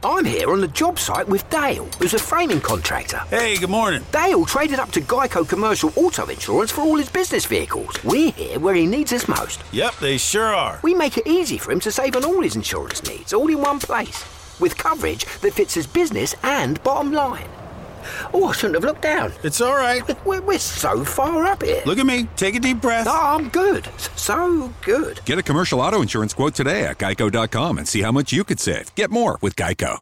I'm here on the job site with Dale, who's a framing contractor. Hey, good morning. Dale traded up to Geico Commercial Auto Insurance for all his business vehicles. We're here where he needs us most. Yep, they sure are. We make it easy for him to save on all his insurance needs, all in one place, with coverage that fits his business and bottom line. Oh, I shouldn't have looked down. It's all right. We're so far up here. Look at me. Take a deep breath. Oh, I'm good. So good. Get a commercial auto insurance quote today at geico.com and see how much you could save. Get more with Geico.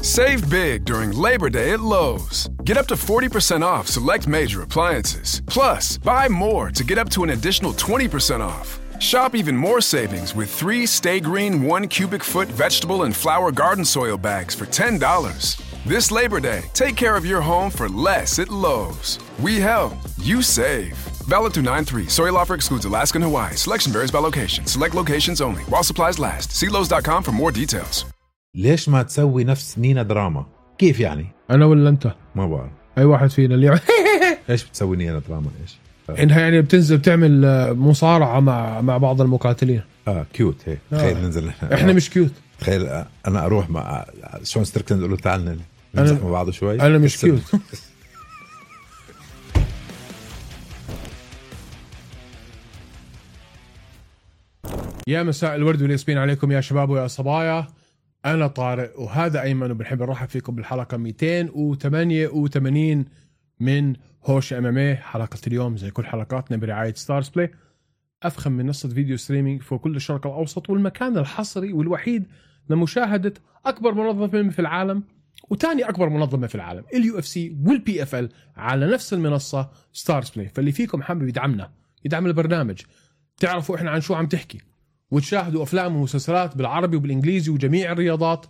Save big during Labor Day at Lowe's. Get up to 40% off select major appliances. Plus, buy more to get up to an additional 20% off. Shop even more savings with 3 Stay Green 1 cubic foot vegetable and flower garden soil bags for $10. This Labor Day, take care of your home for less at Lowe's. We help, you save. Valid through 9/3. Soil offer excludes Alaska and Hawaii. Selection varies by location. Select locations only. While supplies last. See Lowe's.com for more details. ليش ما تسوي نفس نينا دراما؟ كيف يعني؟ انا ولا انت؟ ما بعرف. اي واحد فينا اللي ايش بتسوي نينا دراما ايش؟ انها يعني بتنزل بتعمل مصارعة مع بعض المقاتلين. كيوت هيك. تخيل ننزل احنا مش كيوت. تخيل انا اروح مع شون ستريكلاند اقول له تعال نمزح مع بعض شوي. انا مش كيوت. يا مساء الورد والياسمين عليكم يا شباب ويا صبايا. انا طارق وهذا ايمن وبنحب نرحب فيكم بالحلقة 288 من هوش MMA. حلقة اليوم زي كل حلقاتنا برعاية ستارز بلاي، أفخم منصة فيديو ستريمينج في كل الشرق الأوسط، والمكان الحصري والوحيد لمشاهدة أكبر منظمة في العالم وتاني أكبر منظمة في العالم UFC والPFL على نفس المنصة ستارز بلاي. فاللي فيكم حابب يدعم البرنامج، تعرفوا إحنا عن شو عم تحكي وتشاهدوا أفلام ومسلسلات بالعربي وبالإنجليزي وجميع الرياضات،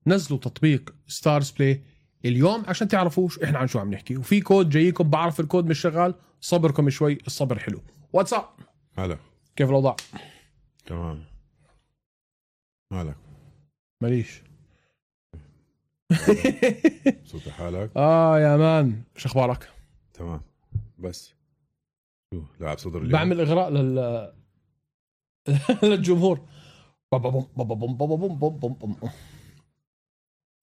نزلوا تطبيق ستارز بلاي اليوم عشان تعرفوش إحنا عن شو عم نحكي. وفي كود جايكم، بعرف الكود مش شغال، صبركم شوي، الصبر حلو. واتساب هلا، كيف الأوضاع؟ تمام. مالك؟ ماليش. صوت حالك؟ يا مان، شو أخبارك؟ تمام. بس شو لاعب صدر اليوم؟ بعمل إغراء للجمهور.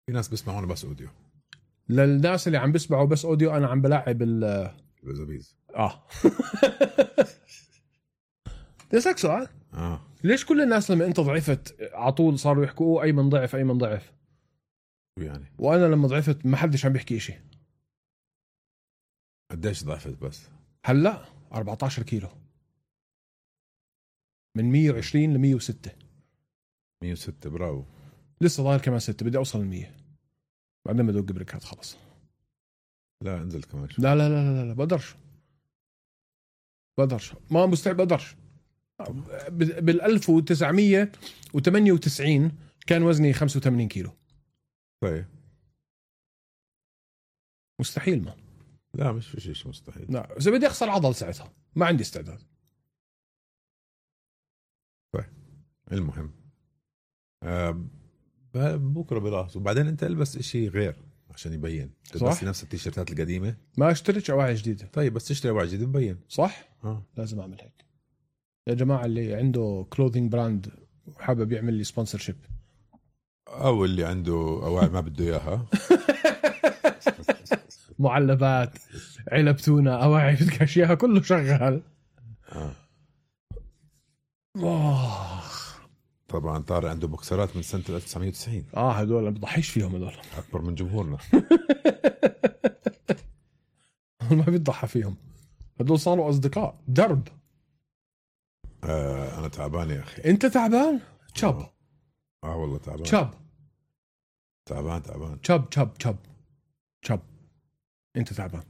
في ناس بيسمعونا بس أوديو. للناس اللي عم بيسمعوا بس أوديو، أنا عم بلاعب البزابيز. تسألك سؤال. ليش كل الناس لما أنت ضعفت عطول صاروا يحكوا أيمن ضعف أيمن ضعف؟ يعني وأنا لما ضعفت ما حدش عم بيحكي إشي. قديش ضعفت بس؟ هلا 14 كيلو، من 120 ل 106. 106 براو. لسه ضايل كمان 6، بدي أوصل 100 بعدين بدوق بريكات خلص. لا انزل كمان شوي. لا بقدرش ما مستعد، بقدرش. بال 1998 كان وزني 85 كيلو. طيب مستحيل. ما لا مش في شيء مستحيل. لا، إذا بدي أخسر عضل ساعتها ما عندي استعداد. طيب المهم بكرة بلاحظ. وبعدين انت البس اشي غير عشان يبين. بس نفس التيشيرتات القديمة، ما اشتريتش أواعي جديدة. طيب بس تشتري أواعي جديدة مبين، صح؟ لازم أعمل هيك يا جماعة. اللي عنده كلوذينج براند وحابب يعمل لي سبونسرشيب، أو اللي عنده أواعي ما بده إياها معلبات، علب تونة، أواعي بدك أشياء، كله شغال. طبعا طارق عنده بوكسرات من سنة 1990. هدول ما بضحيش فيهم، هدول أكبر من جمهورنا. ما بيضحى فيهم، هدول صاروا أصدقاء درب. أنا تعبان يا أخي. أنت تعبان؟ شاب. والله تعبان. شاب. أنت تعبان.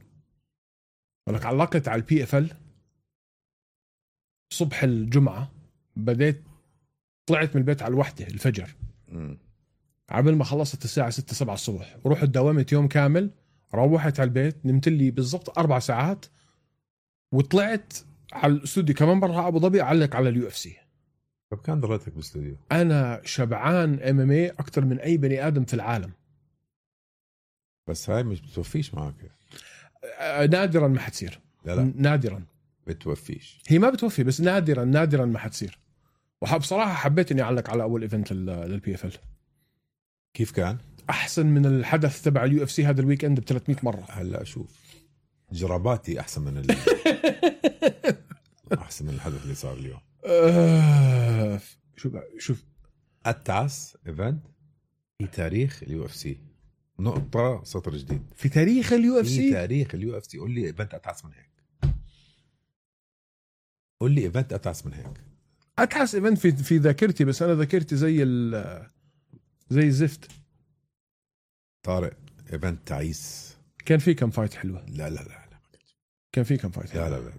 ولك علقت على الPFL صبح الجمعة، بديت طلعت من البيت على 1 الفجر. عبل ما خلصت الساعة 6-7 الصبح، ورحت داومت يوم كامل. روحت على البيت، نمت لي بالضبط 4 ساعات، وطلعت على الاستوديو كمان مرة أبو ظبي أعلق على UFC. طب كان ضليتك بالاستوديو؟ أنا شبعان MMA أكتر من أي بني آدم في العالم. بس هاي مش بتوفيش معك. نادرا ما حتصير. لا نادرا بتوفيش. هي ما بتوفي، بس نادرا ما حتصير. بصراحة حبيت إني أعلق على أول إيفنت للPFL. كيف كان؟ احسن من الحدث تبع اليو اف سي هذا الويك اند ب 300 مره. هلا شوف جراباتي احسن من احسن من الحدث اللي صار اليوم. شوف أتعس ايفنت في تاريخ اليو اف سي، نقطة سطر جديد في تاريخ اليو اف في سي. تاريخ اليو اف سي. قول لي ايفنت أتعس من هيك، قول لي ايفنت أتعس من هيك. اتحس ايفنت في ذاكرتي، بس انا ذاكرتي زي الزفت. طارق ايفنت تعيس. كان في كم فايت حلوه. لا كان في كم فايت حلوة. لا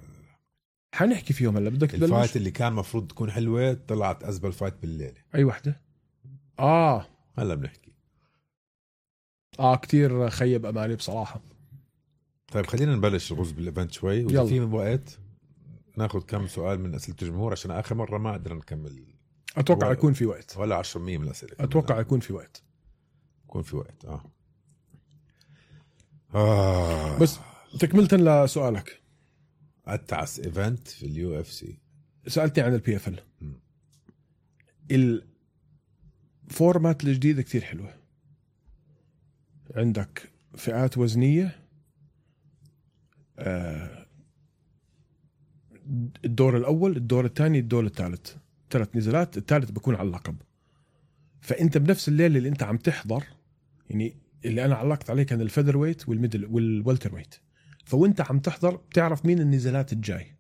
حنحكي فيهم هلا. بدك تبلش؟ الفايت اللي كان مفروض تكون حلوة طلعت أزبل فايت بالليلة. اي وحده؟ هلا بنحكي. كتير خيب امالي بصراحه. طيب خلينا نبلش نغوص بالايفنت شوي، وإذا في من وقت ناخذ كم سؤال من أسئلة الجمهور، عشان آخر مرة ما قدرنا نكمل. اتوقع يكون في وقت، ولا 10% من الأسئلة. اتوقع يكون في وقت. بس تكملة لسؤالك، أتعس ايفنت في اليو اف سي. سألتني عن البي اف ال. الفورمات الجديدة كتير حلوة. عندك فئات وزنية، الدور الأول، الدور الثاني، الدور الثالث، 3 نزالات. الثالث بيكون على اللقب. فأنت بنفس الليلة اللي أنت عم تحضر، يعني اللي أنا علقت عليه كان الفيذر ويت والميدل والوالتر ويت، فوانت عم تحضر بتعرف مين النزالات الجاي.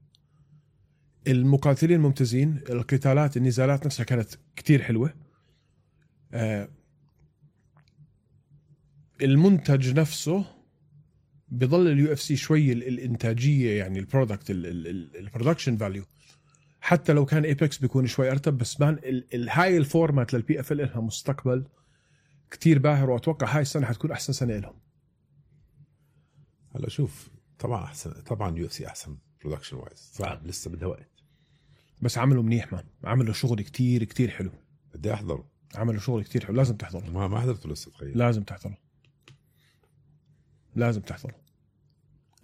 المقاتلين ممتازين، القتالات النزالات نفسها كانت كتير حلوة. المنتج نفسه بيضل اليو اف سي شوي الانتاجية، يعني البرودكت البرودكشن فاليو، حتى لو كان ايبكس بيكون شوي ارتب، بس مان هاي الفورمات للبي اف ال لها مستقبل كتير باهر، واتوقع هاي السنة حتكون احسن سنة لهم. هلا شوف، طبعا احسن، طبعا يو اف سي احسن برودكشن وايز، صعب لسه بدها وقت، بس عملوا منيح مان، عملوا شغل كتير كتير حلو. بدي احضره. عملوا شغل كتير حلو، لازم تحضره. ما حضرته لسه. تخيل، لازم تحضره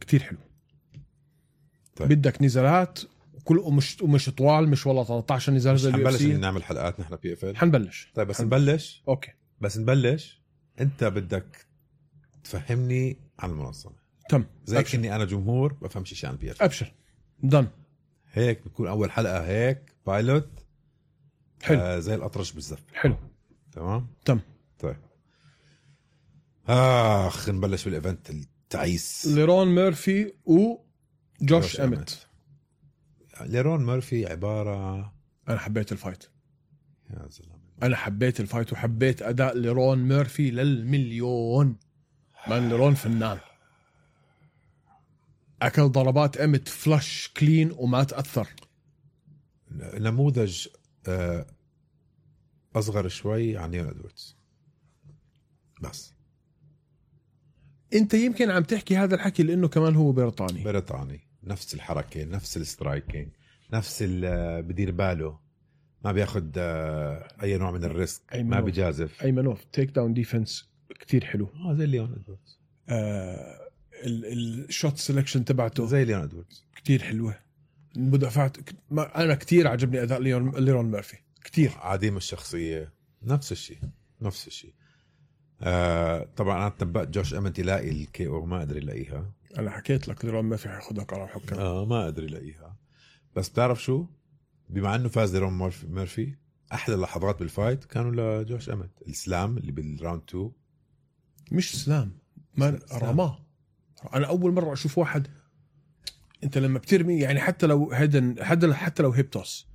كتير حلو. طيب. بدك نزالات كل ومش طوال، مش والله 13 نزال زي حنبلش نعمل حلقات نحن بي اف ال. حنبلش. طيب بس نبلش. اوكي بس نبلش. انت بدك تفهمني عن المنظمة. تم. زي كني انا جمهور بفهمش شيء عن بي اف ال. ابشر دن. هيك بتكون اول حلقة هيك بايلوت. حلو. زي الأطرش بالزف. حلو. تمام. طيب نبلش بالايفنت التعيس. ليرون ميرفي وجوش اميت. ليرون ميرفي عبارة، انا حبيت الفايت. يا زلمة انا حبيت الفايت وحبيت اداء ليرون ميرفي للمليون. من ليرون فنان، اكل ضربات اميت فلاش كلين وما تأثر. نموذج اصغر شوي عن ليون ادواردز. بس انت يمكن عم تحكي هذا الحكي لانه كمان هو بريطاني، نفس الحركة، نفس السترايكينج، نفس بدير باله، ما بياخد اي نوع من الريسك، ما بيجازف. ايمنوف تيك داون ديفنس كتير حلو. زي ليون ادواردز. الشوت سيلكشن تبعته زي ليون ادواردز كتير حلوة. المدافعات انا كتير عجبني اداء ليرون ميرفي كتير. عديم الشخصية، نفس الشيء. طبعا انا تنبأت جوش امنت يلاقي الكي او، ما قدر يلاقيها. انا حكيت لك ليرون ميرفي حياخدها قرار حكام. ما قدر يلاقيها. بس بتعرف شو، بما انه فاز ليرون ميرفي، احلى لحظات بالفايت كانوا لجوش امنت. السلام اللي بالراوند 2، مش سلام، ما رماه. انا اول مره اشوف واحد، انت لما بترمي يعني حتى لو حتى لو هيب توس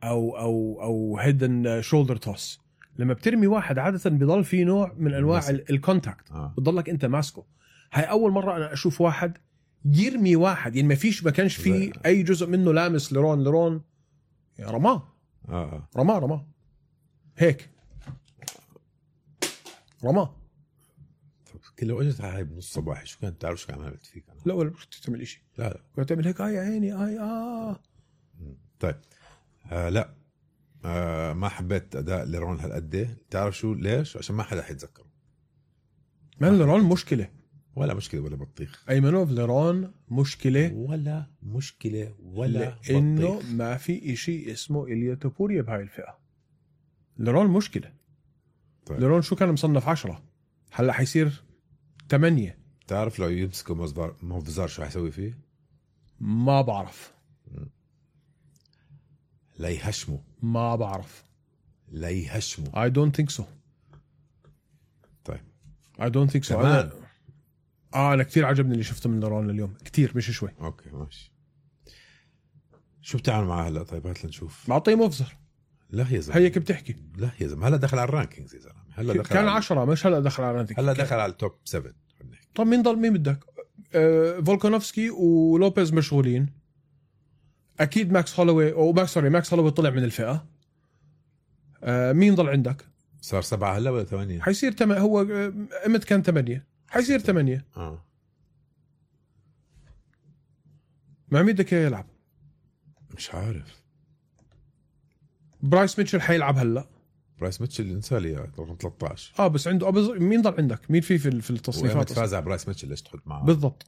او هيدن شولدر توس، لما بترمي واحد عاده بيضل في نوع من انواع الكونتاكت، بتضلك انت ماسكه. هاي اول مره انا اشوف واحد يرمي واحد، يعني ما كانش في اي جزء منه لامس ليرون يعني رماه. رماه هيك رماه. لو اجت هاي بنص صباحي شو كانت تعرف شو عملت فيك انا؟ لا ولا كنت تعمل شيء. لا كنت تعمل هيك يا عيني طيب لا ما حبيت اداء ليرون هالقد. تعرف شو ليش؟ عشان ما حدا حيتذكره. ما ليرون مشكله ولا بطيخ. ايمنوف ليرون مشكله ولا انه ما في شيء اسمه إليا توبوريا بهاي الفئه. ليرون مشكله. طيب. ليرون شو كان مصنف 10 هلا حيصير 8. تعرف لو يمسكوا موفزار شو حيسوي فيه؟ ما بعرف. لا يهشموا. ما بعرف. لا يهشموا. I don't think so. طيب I don't think so. كمان. أنا كتير عجبني اللي شفته من ليرون اليوم كتير مش شوي. اوكي ماشي. شو بتعمل معاه هلا؟ طيب هات لنشوف. معطيه مفزر. لا يا زلمه هيك بتحكي. لا يا زلمه هلا دخل على الرانكينجز يا زلمه. هلا دخل كان على 10 مش هلا دخل على رانكينج. هلا دخل على التوب 7. طب مين ضل مين بدك؟ فولكانوفسكي ولوبيز مشغولين. اكيد ماكس هولوي طلع من الفئه. مين ضل عندك؟ صار 7 هلا ولا 8؟ حيصير هو امت كان 8 حيصير 8. مع مين بدك يلعب؟ مش عارف. برايس ميتشل حيلعب هلا. برايس ميتشل انسى لي رقم 13. بس عنده مين ضل عندك؟ مين في التصنيفات؟ فاز على برايس ميتشل. ليش تحط معه؟ بالضبط.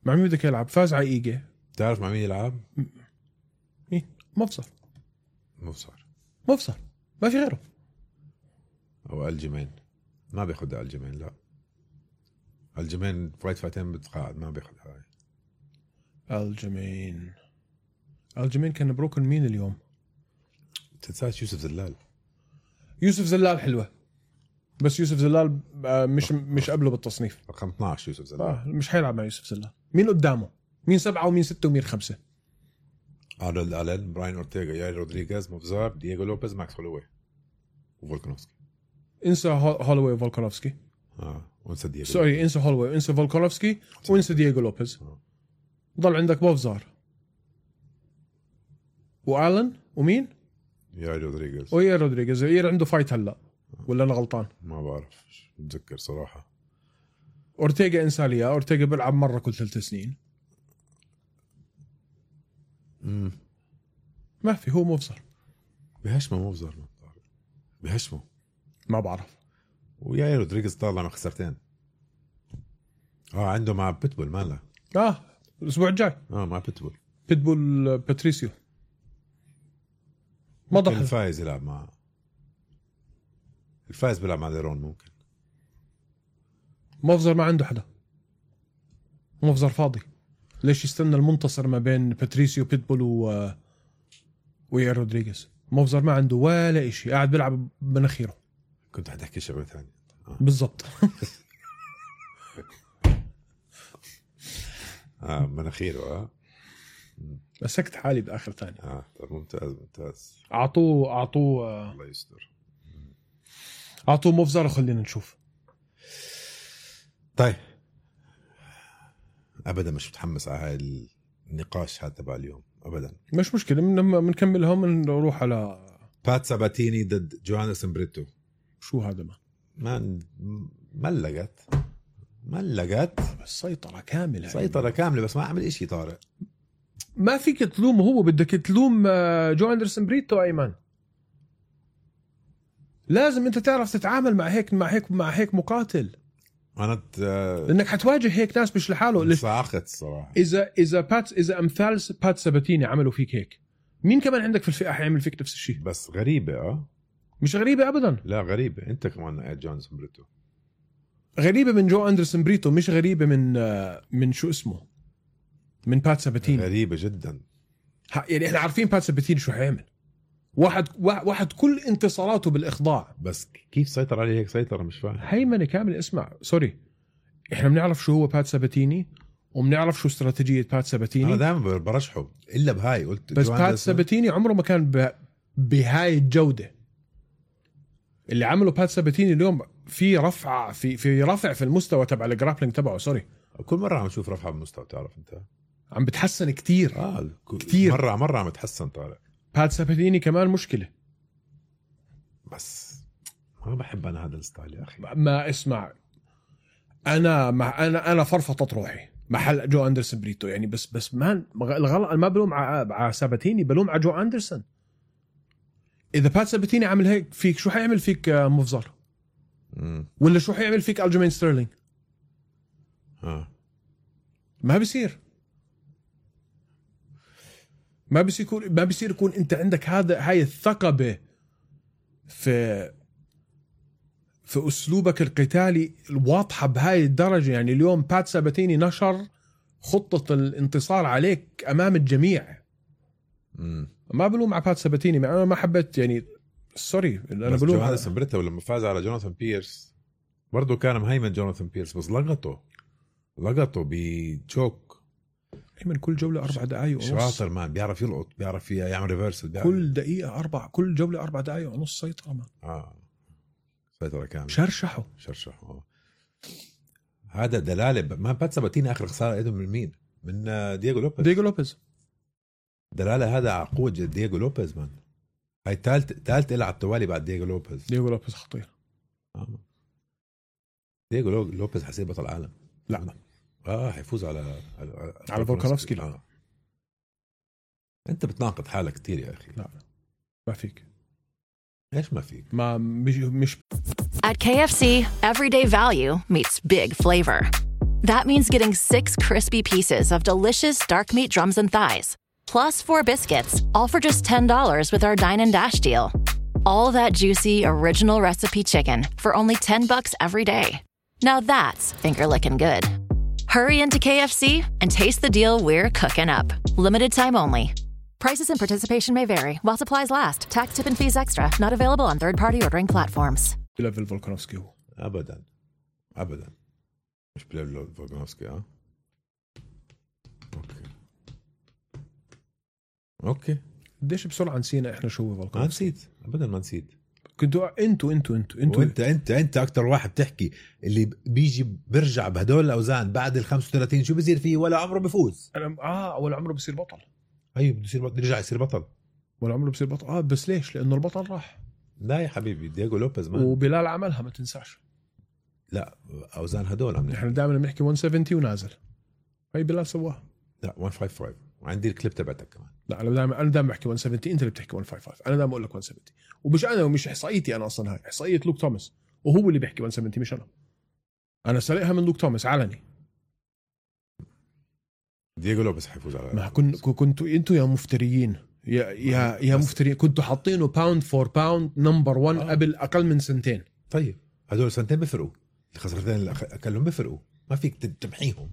مع مين بدك يلعب؟ فاز على ايجي. تعرف مع مين يلعب؟ مين؟ مفصل ما في غيره. او الجيمين ما بياخد الجيمين. لا الجيمين فايتين بتقاعد ما بياخد هاي. الجيمين كان بروكن مين اليوم؟ تنساش يوسف زلال حلوة بس يوسف زلال مش قبله بالتصنيف رقم 12. يوسف زلال مش حيلعب مع يوسف زلال. مين قدامه؟ مين 7 ومين 6 ومين 5؟ ارنولد ألين، براين أورتيغا، ياير رودريغيز، موفزار، دييغو لوبيز، ماكس هولوي وفولكانوفسكي. انسى هولوي وفولكانوفسكي. وانسى دييغو. سوري انسى هولوي وانسى فولكانوفسكي وانسى دييغو لوبيز. ضل عندك موفزار وآلن ومين؟ ياير رودريغيز. وياير رودريغيز. ياير عنده فايت هلا ولا انا غلطان؟ ما بعرف متذكر صراحة. أورتيغا انسى ليا. أورتيغا بيلعب مرة كل 3 سنين. ما في. هو مفزر بهشمه ما بعرف. وياير رودريغيز طالع مع خسرتين. عنده مع بيتبول ماله. الأسبوع الجاي مع بيتبول باتريسيو. ما ضحك. الفايز يلعب مع الفايز بيلعب مع ليرون. ممكن مفزر ما عنده حدا. مفزر فاضي. ليش يستنى المنتصر ما بين باتريسيو بيتبول ويا رودريغيز؟ مفزر ما عنده ولا إشي. قاعد بيلعب بنخيره. كنت حتحكي شغله ثانيه. بالضبط. مناخيره. مسكت حالي بآخر ثانية. طيب ممتاز. أعطوه الله يستر. أعطوه مفزر وخلينا نشوف. طيب أبدا مش متحمس على هاي النقاش هذا تبع اليوم أبدا. مش مشكلة. بنكملهم ونروح على بات ساباتيني ضد جوانسون بريتو. شو هذا؟ ملقت بس سيطرة كاملة. بس ما عمل إشي. طارق ما فيك تلومه. هو بدك تلوم جو أندرسون بريتو. أيمن لازم أنت تعرف تتعامل مع هيك مقاتل. لأنك حتواجه هيك ناس مش لحاله. صاخت الصراحة. إذا أمثال بات ساباتيني عملوا فيك هيك، مين كمان عندك في الفئة حيعمل فيك نفس الشيء؟ بس غريبة. مش غريبة أبدا. لا غريبة. أنت كمان جونسون بريتو. غريبة من جو أندرسون بريتو، مش غريبة من شو اسمه، من بات ساباتيني. غريبة جدا. يعني احنا عارفين بات ساباتيني شو حيعمل. واحد كل انتصاراته بالإخضاع. بس كيف سيطر عليه هيك سيطرة؟ مش فاهم. هيمنة كامل. اسمع سوري، احنا بنعرف شو هو بات ساباتيني وبنعرف شو استراتيجية بات ساباتيني. أنا دائما برشحه إلا بهاي. قلت بس بات ساباتيني عمره ما كان بهاي الجودة اللي عمله بات ساباتيني اليوم. في رفع في رفع في المستوى تبع الجرابلينج تبعه. سوري، كل مرة عم نشوف رفع بالمستوى. تعرف أنت عم بتحسن كتير. كتير. مرة عم بتحسن. طارق بات ساباتيني كمان مشكلة. بس ما بحب أنا هذا الستايل يا أخي. ما اسمع، أنا فرفطت روحي محل جو أندرسون بريتو. يعني بس الغلط ما بلوم على ساباتيني، بلوم على جو أندرسون. إذا بات ساباتيني عمل هيك فيك، شو حيعمل فيك مفزر؟ ولا شو حيعمل فيك ألجيمين ستيرلينج؟ ما بيصير يكون انت عندك هاي الثقة في أسلوبك القتالي الواضحة بهاي الدرجة. يعني اليوم بات ساباتيني نشر خطة الانتصار عليك أمام الجميع. ما بلوم على بات ساباتيني، أنا ما حبيت يعني سوري أنا بلوم على سمبريتا. ولما فاز على جوناثان بيرس برضو كان مهيمن جوناثان بيرس، بس لقطه بجوك من كل جولة 4 دقايق ونص. شاطر مان، بيعرف يلقط، بيعرف يعمل ريفرسل، كل دقيقة كل جولة 4 دقايق ونص سيطرة مان. سيطرة كاملة، شرشحوا. هذا دلالة. ما بات ساباتيني آخر خسارة إيده من مين؟ من دييغو لوبيز. دلالة هذا على قوة دييغو لوبيز مان. هاي ثالث إلى على التوالي بعد دييغو لوبيز خطير. دييغو لوبيز حسيب بطل العالم. لا حيفوز على فولكانوفسكي. لا انت بتناقض حالك كتير يا اخي. لا ما فيك. ليش ما فيك؟ ما مش At KFC, everyday value meets big flavor. That means getting 6 crispy pieces of delicious dark meat drums and thighs, plus 4 biscuits, all for just $10 with our Dine and Dash deal. All that juicy original recipe chicken for only $10 every day. Now that's finger-licking good. Hurry into KFC and taste the deal we're cooking up. Limited time only. Prices and participation may vary while supplies last. Tax, tip, and fees extra. Not available on third-party ordering platforms. بليفل فولكانوفسكي هو أبداً مش بليفل فولكانوفسكي. أوكي قديش بسرعة نسينا إحنا شو فولكانوفسكي. ما نسيت أبداً، ما نسيت. كنتوا انتوا انت اكتر واحد تحكي اللي بيجي برجع بهدول الاوزان بعد ال 35 شو بيصير فيه؟ ولا عمره بفوز. انا ولا عمره بصير بطل. ايوه بده يصير بطل، يرجع يصير بطل. ولا عمره بصير بطل. بس ليش؟ لانه البطل راح. لا يا حبيبي، دييغو لوبيز مان. وبلال عملها ما تنساش. لا اوزان هدول احنا دائما بنحكي 170 ونازل. هي بلال سواها. لا 155 وعندي الكليب تبعتك كمان. لا انا دائما بحكي 170، انت اللي بتحكي 155. انا دائما اقول لك 170. ومش انا، ومش احصائيتي انا اصلا، هاي احصائيه لوك توماس وهو اللي بيحكي 170 مش انا سرقها من لوك توماس علني. دييغو لوبيز حيفوز على ما كنتوا انتوا يا مفتريين يا مفتريين. كنتوا حاطينه باوند فور باوند نمبر 1 قبل اقل من سنتين. طيب هدول سنتين بيفرقوا، الخسارتين اللي اكلهم بيفرقوا، ما فيك تمحيهم.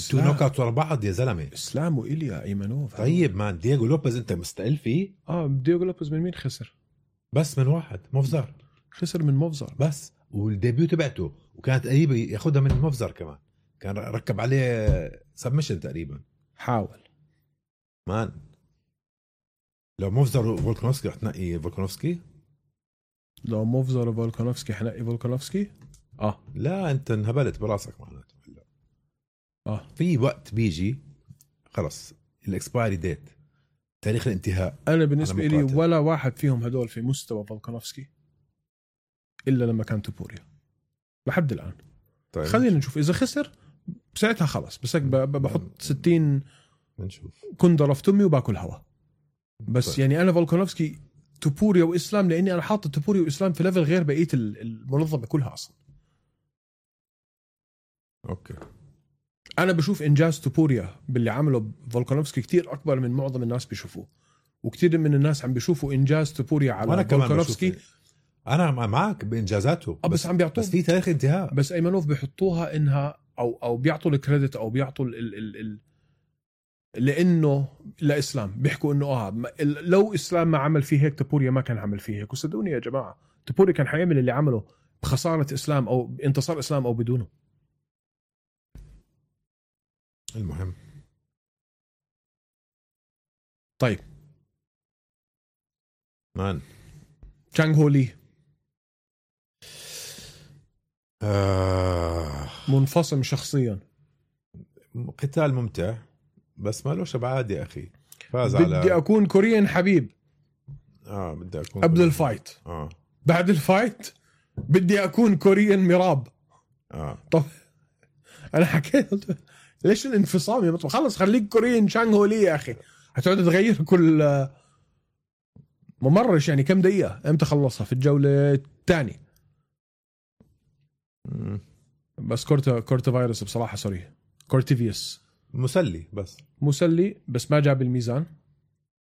تو نوكات ورا بعض يا زلمه. اسلام وإيليا ايمانوف. طيب مان دييغو لوبيز انت مستقل فيه؟ دييغو لوبيز من مين خسر؟ بس من واحد، مفزر. خسر من مفزر بس، والديبيو تبعته وكانت قريبه ياخدها من مفزر كمان، كان ركب عليه سبمشن تقريبا. حاول مان. لو مفزر وفولكانوفسكي رح تنقي فولكانوفسكي؟ لو مفزر وفولكانوفسكي حنقي فولكانوفسكي؟ لا انت انهبلت براسك معناته. في وقت بيجي خلص الاكسبايري ديت، تاريخ الانتهاء. انا بالنسبه لي ولا واحد فيهم هدول في مستوى فولكانوفسكي الا لما كان توبوريا لحد الان. طيب خلينا نشوف اذا خسر ساعتها خلص، بس بحط 60 نشوف كندرة في تمي وباكل هوا. بس طيب. يعني انا فولكانوفسكي توبوريا واسلام، لاني انا حاطط توبوريا واسلام في ليفل غير بقيه المنظمه كلها اصلا. اوكي انا بشوف انجاز توبوريا باللي عمله فولكانوفسكي كتير اكبر من معظم الناس بيشوفوه، وكتير من الناس عم بيشوفوا انجاز توبوريا على فولكانوفسكي. انا معك بانجازاته، بس عم بيعطوه، بس في تاريخ انتهاء. بس ايمانوف بيحطوها انها او بيعطوا الكريدت او بيعطوا لانه لاسلام بيحكوا انه لو اسلام ما عمل فيه هيك توبوريا ما كان عمل فيه هيك. وصدقوني يا جماعه توبوريا كان حيعمل اللي عمله بخساره اسلام او بانتصار اسلام او بدونه. المهم طيب مان تشانغ هو لي منفصل شخصيا، قتال ممتع بس ما له شبعاد يا أخي. فاز بدي أكون كوريين حبيب. بدي أكون قبل الفايت. بعد الفايت بدي أكون كوريين مراب. طب أنا حكيت ليش الانفصام يا مطلوب؟ خلص خليك كوريين شانغ هو لي يا أخي. هتقعد تغير كل ممرش يعني كم دقيقة؟ امتى خلصها؟ في الجولة الثانية. بس كورتا فيروس بصراحة سوري كورتيفيوس مسلي بس ما جاب الميزان.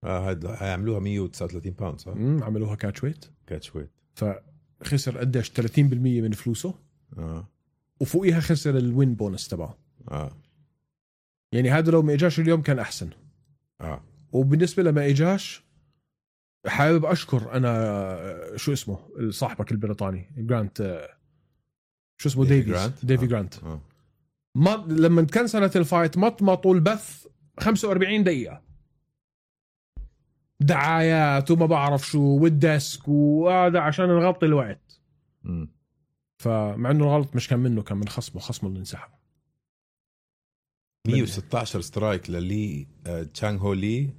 هيعملوها 139 باوند صح؟ عملوها كاتشويت كاتشويت. فخسر قديش 30% من فلوسه. وفوقيها خسر الوين بونس تبعه. يعني هذا لو ما اجاش اليوم كان احسن. وبالنسبه لما اجاش حابب اشكر انا شو اسمه صاحبك البريطاني جرانت، شو اسمه ديفي جرانت. ما لما تكنسلت الفايت ما طول بث 45 دقيقه دعايات وما بعرف شو والديسك وهذا عشان نغطي الوقت. فمع انه الغلط مش كان منه، كان من خصمه اللي انسحب. 116 سترايك للي تشانغ هو لي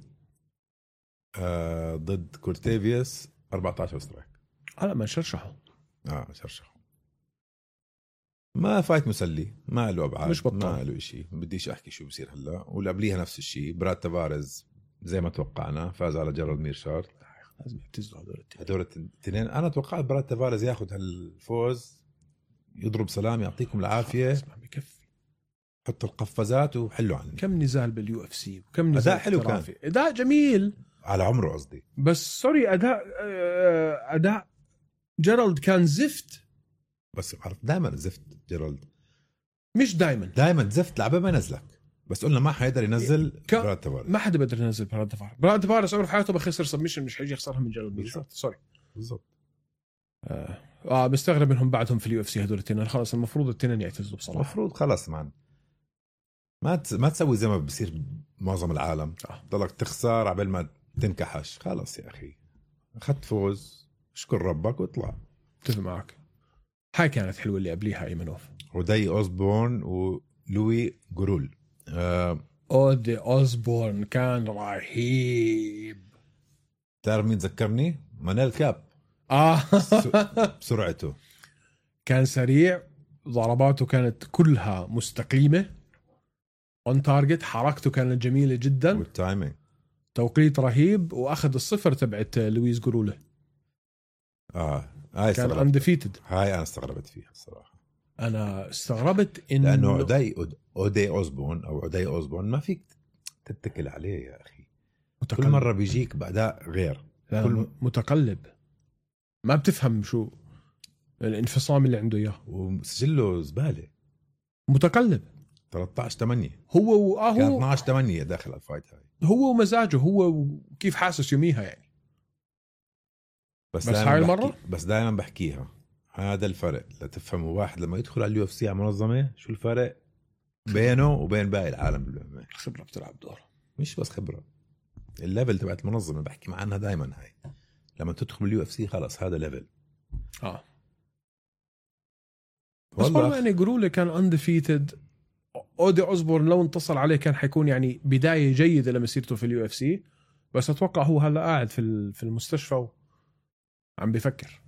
ضد كورتيفيوس 14 سترايك. لا ما شرشحوا. شرشحوا. ما فايت مسلي، ما له ابعاد، مش بطل، ما له شيء. بديش احكي شو بصير هلا. واللي قبليها نفس الشيء، براد تافاريز زي ما توقعنا فاز على جيرالد ميرشارد. لازم يعتزلوا هدول الاثنين. انا توقعت براد تافاريز ياخذ هالفوز، يضرب سلام، يعطيكم العافيه، بكفي، حط القفازات وحلوا عني. كم نزال باليو اف سي وكم نزال اداء حلو كان، اداء جميل على عمره قصدي. بس سوري اداء جيرالد كان زفت. بس عرفت دائما زفت جيرالد، مش دائما زفت. لعبه ما نزلك، بس قلنا ما حيقدر ينزل براد تافاريز. ما حدا بيقدر ينزل براد تافاريز عمره في حياته بخسر سبمشن، مش حيجي يخسرها من جيرالد ميرشارد. سوري بالضبط. مستغرب منهم بعدهم في اليو اف سي هدول الاثنين. خلص المفروض الاثنين يعتزلوا بصراحه. المفروض خلص مان، ما تسوي زي ما بصير معظم العالم. ضلك تخسر عبال ما تنكحش. خلص يا اخي، اخذت فوز، اشكر ربك واطلع. اتفق معك. هاي كانت حلوه اللي قبليها ايمنوف وداي اوزبورن ولوي جورول. اودي اوزبورن كان رهيب. تعرف مين ذكرني؟ مانيل كاب. بسرعته كان سريع، ضرباته كانت كلها مستقيمه اون تارجت، حركته كانت جميله جدا، والتايمينج توقيت رهيب. واخذ الصفر تبعت لويس جورولة. هاي كان اندفيتد. هاي انا استغربت فيها الصراحه. انا استغربت انه لانه اودي اوزبورن او اودي اوزبورن ما فيك تتكل عليه يا اخي. كل مره بيجيك باداء غير، كل متقلب، ما بتفهم شو الانفصام اللي عنده اياه. وسجله زباله، متقلب. 13-8 هو كان 12-8 داخل الفايت هاي. هو ومزاجه، هو وكيف حاسس يوميها يعني. بس هاي المره بس دائما بحكيها، هذا الفرق لتفهموا. واحد لما يدخل على اليو اف سي على منظمه، شو الفرق بينه وبين باقي العالم بالمنظمه؟ الخبره بتلعب دور، مش بس خبره، الليفل تبعت المنظمه بحكي عنها دائما. هاي لما تدخل باليو اف سي خلاص هذا ليفل. بس برضه يعني جرولة كان اندفيتد. اودي اوزبورن لو انتصر عليه كان حيكون يعني بدايه جيده لمسيرته في اليو اف سي. بس اتوقع هو هلا قاعد في المستشفى وعم بيفكر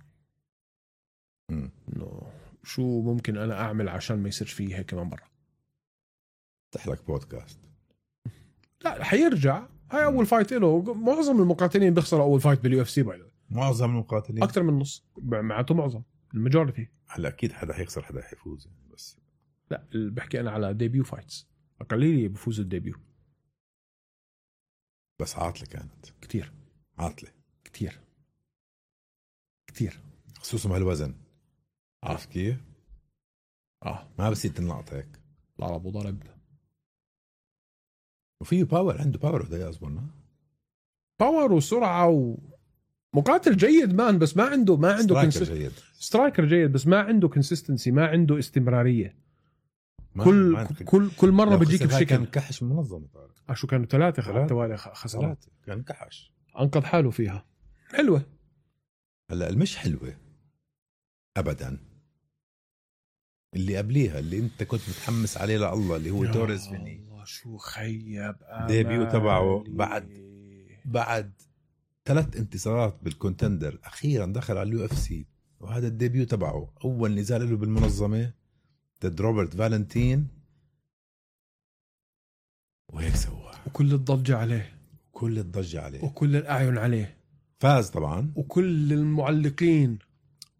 انه شو ممكن انا اعمل عشان ما يصيرش فيه هيك كمان مره. تحلك بودكاست. لا حيرجع. هاي اول فايت له. معظم المقاتلين بيخسروا اول فايت باليو اف سي. معظم المقاتلين اكثر من نص، معناته معظم الماجورتي. هلا اكيد حدا حيخسر حدا حيفوز يعني. بس لا بحكي انا على ديبيو فايتس، اقليه بفوز الديبيو. بس عاطله كانت كتير، عاطله كتير خصوصا بهالوزن. عارف كيف؟ ما بصير تنلقط هيك. ضرب وضرب. وفيه باور، عنده باور. وده أصبرنا باور وسرعة ومقاتل جيد مان. بس ما عنده سترايكر جيد بس ما عنده كونسيستنسي، ما عنده استمرارية. كل مرة بيجيك بشكل. كان كحش منظم. شو كانوا 3 توالي خسارات. كان كحش، أنقذ حاله فيها. حلوة. هلا المش حلوة أبدا اللي قبليها، اللي انت كنت متحمس عليه لله، اللي هو توريز فيني. الله شو خيب ديبيو تبعه بعد 3 انتصارات بالكونتندر. اخيرا دخل على اليو اف سي، وهذا الديبيو تبعه اول نزال له بالمنظمه ضد روبرت فالنتين، وهيك سوى. وكل الضجه عليه، وكل الاعين عليه. فاز طبعا، وكل المعلقين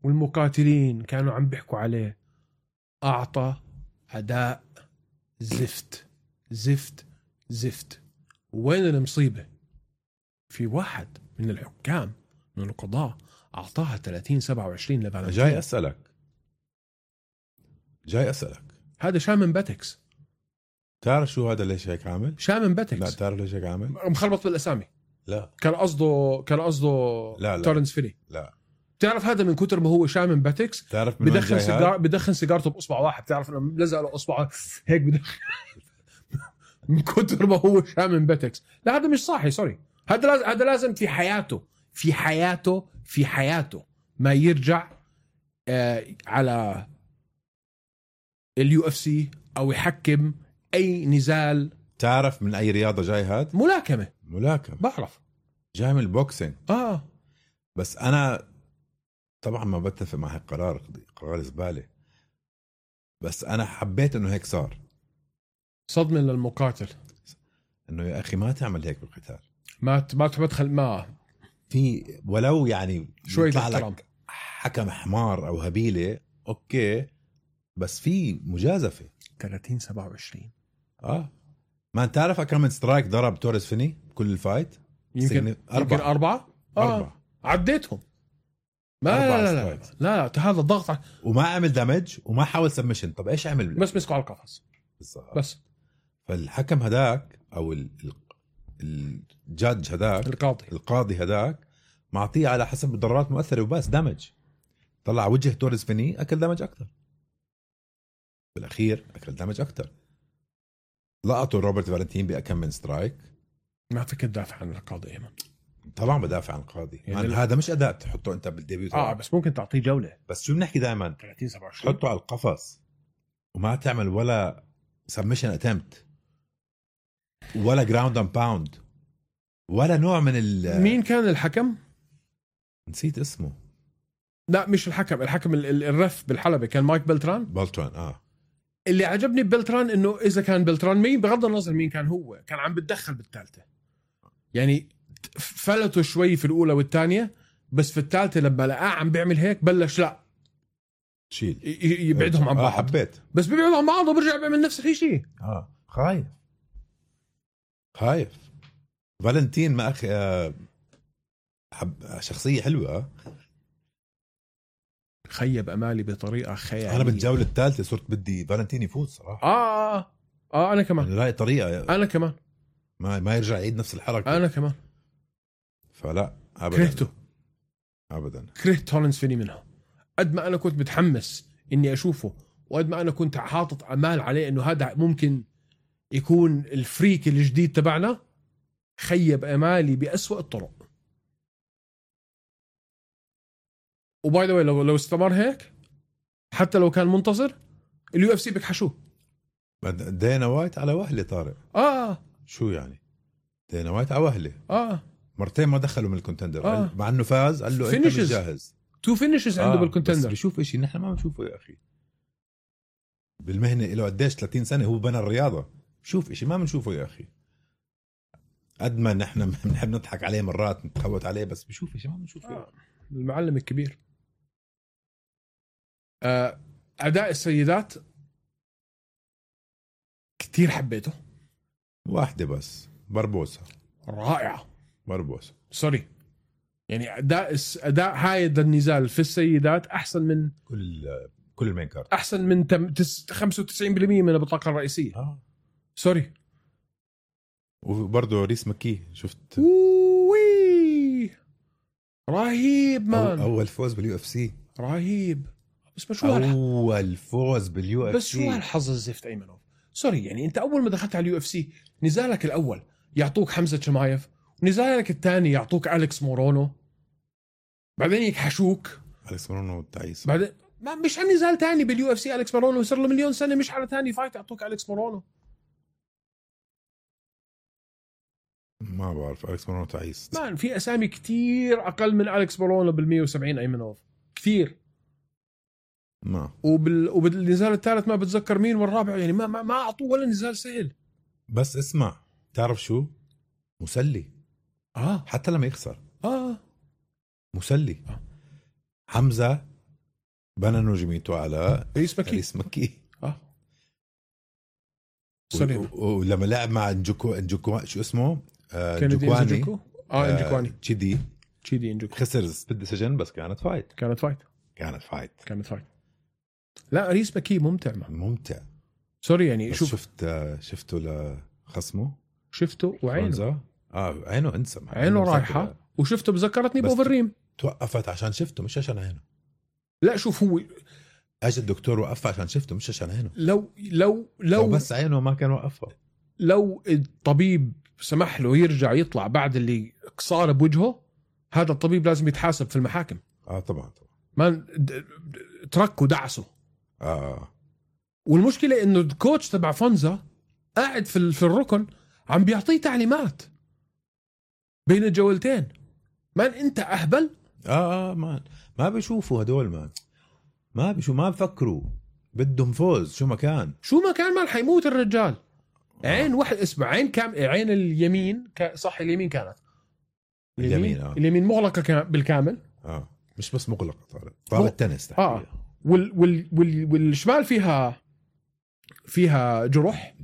والمقاتلين كانوا عم بيحكوا عليه. أعطى أداء زفت. وين المصيبة؟ في واحد من الحكام من القضاء أعطاها 30-27 لفالنتين. جاي أسألك هذا شامن باتكس. تعرف شو هذا ليش هيك عامل؟ شامن باتكس. لا تعرف ليش هيك عامل؟ مخربط بالأسامي. لا كان قصده لا. تورنس فيني. لا بتعرف هذا من كتر ما هو شامن باتكس تعرف بدخن سيجارته بأصبع واحد. بتعرف انه ملزق له اصبعه هيك بدخن من كتر ما هو شامن باتكس. لا هذا مش صحي سوري. هذا لازم في حياته ما يرجع على UFC او يحكم اي نزال. تعرف من اي رياضة جاي هاد؟ ملاكمة. بعرف جاي من البوكسينج. بس انا طبعا ما بتفق مع هالقرار، قرار زبالة، بس انا حبيت انه هيك صار. صدمة للمقاتل انه يا اخي ما تعمل هيك بالقتال. ما تدخل ما في ولو يعني شوية يطلع احترام. لك حكم حمار او هبيلة اوكي، بس في مجازفة. 30-27 ما انت تعرف كم من سترايك ضرب توريس فيني كل الفايت؟ يمكن 4 عديتهم. لا هذا ضغط وما عمل دامج وما حاول سبمشن. طب ايش عمل؟ بس مسكوا على القفص بس. فالحكم هداك او الجادج هداك القاضي هداك معطيه على حسب الضربات مؤثرة وبس دامج. طلع وجه توريس فيني اكل دامج اكتر، بالاخير اكل دامج اكتر. لقطوا روبرت فالنتين بأكم من سترايك. ما فيك تدافع عن القاضي ايمن. طبعا بدافع عن القاضي يعني هذا مش اداء تحطه انت بالديبيوت. بس ممكن تعطيه جوله. بس شو بنحكي دائما 30-27 تحطه على القفص وما تعمل ولا سبمشن اتمت ولا جراوند اند باوند ولا نوع من مين كان الحكم؟ نسيت اسمه. لا مش الحكم الرف بالحلبة كان مايك بلتران. اللي عجبني ببلتران انه اذا كان بلتران مين بغض النظر مين كان هو كان عم بتدخل بالثالثة. يعني فلتوا شوي في الاولى والثانية، بس في الثالثة لما لقاه عم بيعمل هيك بلش لا شيل يبعدهم عن بعض. حبيت بس بيبعدوا عن بعض وبرجع بيعمل نفس الشيء. خايف فالنتين ما اخي شخصية حلوة. خيب امالي بطريقة خيالية. انا بالجولة الثالثة صرت بدي فالنتين يفوز صراحة. انا كمان لاقي طريقة. انا كمان ما يرجع يعيد نفس الحركة. انا كمان فلا ابدا كرهت تورنس فيني منها. قد ما انا كنت متحمس اني اشوفه وقد ما انا كنت حاطط امال عليه انه هذا ممكن يكون الفريك الجديد تبعنا، خيب امالي بأسوأ الطرق. وباي ذا واي لو استمر هيك حتى لو كان منتصر UFC بكحشوه. دينا وايت على وهلة طارق. شو يعني دينا وايت على وهلة؟ مرتين ما دخلوا من الكونتندر. مع انه فاز قال له انت مش جاهز. 2 فينيشز عنده بالكونتندر. بس بيشوف اشي نحن ما بنشوفه يا اخي بالمهنة له قديش 30 سنة هو بنى الرياضة. شوف اشي ما بنشوفه يا اخي. قد ما نحن بنحب نضحك عليه مرات نتخوت عليه، بس بشوف اشي ما بنشوفه. المعلم الكبير. أداء السيدات كتير حبيته. واحدة بس بربوسة رائعة. بربوسة سوري يعني أداء هاي النزال في السيدات أحسن من كل المين كارد. أحسن من 95% من البطاقة الرئيسية. سوري. وبرضه ريس مكي شفت رهيب مان. أول فوز UFC رهيب. بس شو أول فوز UFC. بس شو هالحظ الزفت أيمنوف. سوري يعني أنت أول ما دخلت على UFC نزالك الأول يعطوك حمزة شمايف، ونزالك الثاني يعطوك أليكس مورونو، بعدين يكحشوك أليكس مورونو تعيس. بعدين مش على نزال تاني بالUFC أليكس مورونو صار له مليون سنة مش على تاني فايت يعطوك أليكس مورونو. ما بعرف أليكس مورونو تعيس. مان في أسامي كتير أقل من أليكس مورونو بال170 أيمنوف كثير. ما وبالنزال الثالث ما بتذكر مين والرابع يعني ما أعطوه ولا نزال سهل. بس اسمع تعرف شو مسلي. حتى لما يخسر مسلي. حمزة بنى نجميته على ريس مكي. سوري. ولما لعب مع نجوكو شو اسمه جوكواني انجكواني تشيدي انجكواني خسر بدي سجن بس كانت فايت. كانت فايت. لا ريس ماكي ممتع سوري يعني شفته لخصمه شفته وعينه عينه انسى عينه رايحة وشفته بذكرتني بأوفرريم. توقفت عشان شفته مش عشان عينه. لا شوف هو اجى الدكتور وقفها عشان شفته مش عشان عينه. لو بس عينه ما كان وقفها. لو الطبيب سمح له يرجع يطلع بعد اللي صار بوجهه هذا الطبيب لازم يتحاسب في المحاكم. طبعا ما تركوا دعسه. والمشكلة انه الكوتش تبع فونزا قاعد في الركن عم بيعطيه تعليمات بين الجولتين. مان انت اهبل. ما بيشوفوا هدول ما بفكروا بدهم فوز. شو ما كان مان حيموت الرجال. عين واحد اسمع عين اليمين صح اليمين كانت اليمين مغلقة بالكامل. مش بس مغلقة طارت تنس والشمال فيها جروح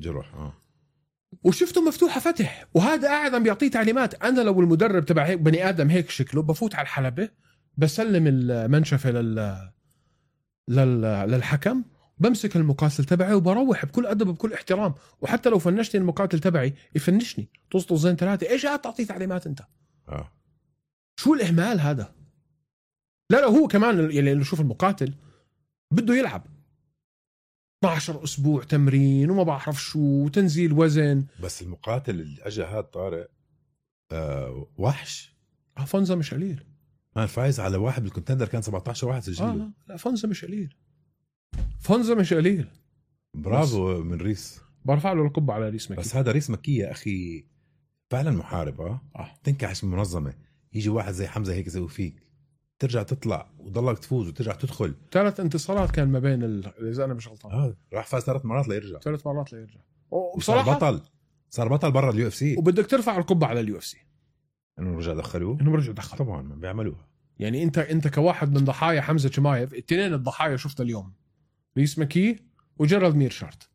وشفته مفتوحة فتح. وهذا قاعد عم بيعطيه تعليمات. أنا لو المدرب تبع هيك بني آدم هيك شكله بفوت على الحلبة بسلم المنشفة للحكم بمسك المقاتل تبعي وبروح بكل أدب بكل احترام. وحتى لو فنشتني المقاتل تبعي يفنشني طزطزين 3 ايش قاعد تعطيه تعليمات انت؟ شو الإهمال هذا؟ لا هو كمان اللي شوف المقاتل بده يلعب 12 أسبوع تمرين وما بعرف شو تنزيل وزن. بس المقاتل اللي أجا هاد طارق وحش. فونزا مش قليل. فايز على واحد بالكونتندر كان 17 واحد سجله. لا فونزا مش قليل. برافو من ريس. برفع له القبعة على ريس مكي. بس هذا ريس مكي يا أخي فعلا محارب. تنكحش منظمة. يجي واحد زي حمزة هيك يسوي فيك ترجع تطلع وضلك تفوز وترجع تدخل. 3 انتصارات كان ما بين إذا أنا مش غلطان. راح فاز 3 مرات ليرجع. وبصراحة صار بطل برا اليو اف سي. وبدك ترفع القبعة على اليو اف سي انه رجع دخلوه. طبعا ما بيعملوها. يعني انت كواحد من ضحايا حمزة شمايف. 2 الضحايا شفتها اليوم ريس مكي وجيرالد ميرشارت.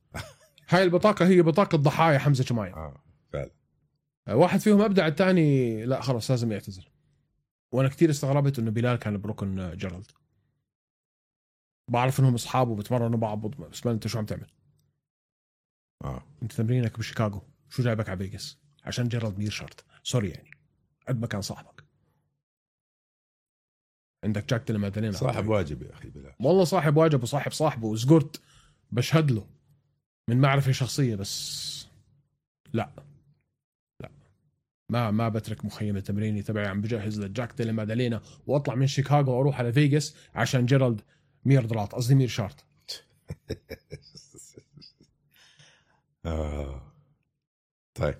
هاي البطاقة هي بطاقة ضحايا حمزة شمايف. فعلا. واحد فيهم أبدع الثاني لا خلاص لازم يعتزل. وانا كتير استغربت انه بلال كان بركن جيرالد. بعرف انهم اصحاب وبتمرنوا بعض بس ما انت شو عم تعمل. انت تمرينك بشيكاغو شو جايبك على فيغاس عشان جيرالد ميرشارت؟ سوري يعني قد ما كان صاحبك. عندك جاك ديلا صاحب واجب يا اخي بلال. والله صاحب واجب وصاحب صاحبه وزقرت بشهد له من معرفة شخصية. بس لا ما بترك مخيمة تمريني تبعي عم بجهز لجاك ديلا مادالينا واطلع من شيكاغو واروح على فيغاس عشان جيرالد ميرشارت. طيب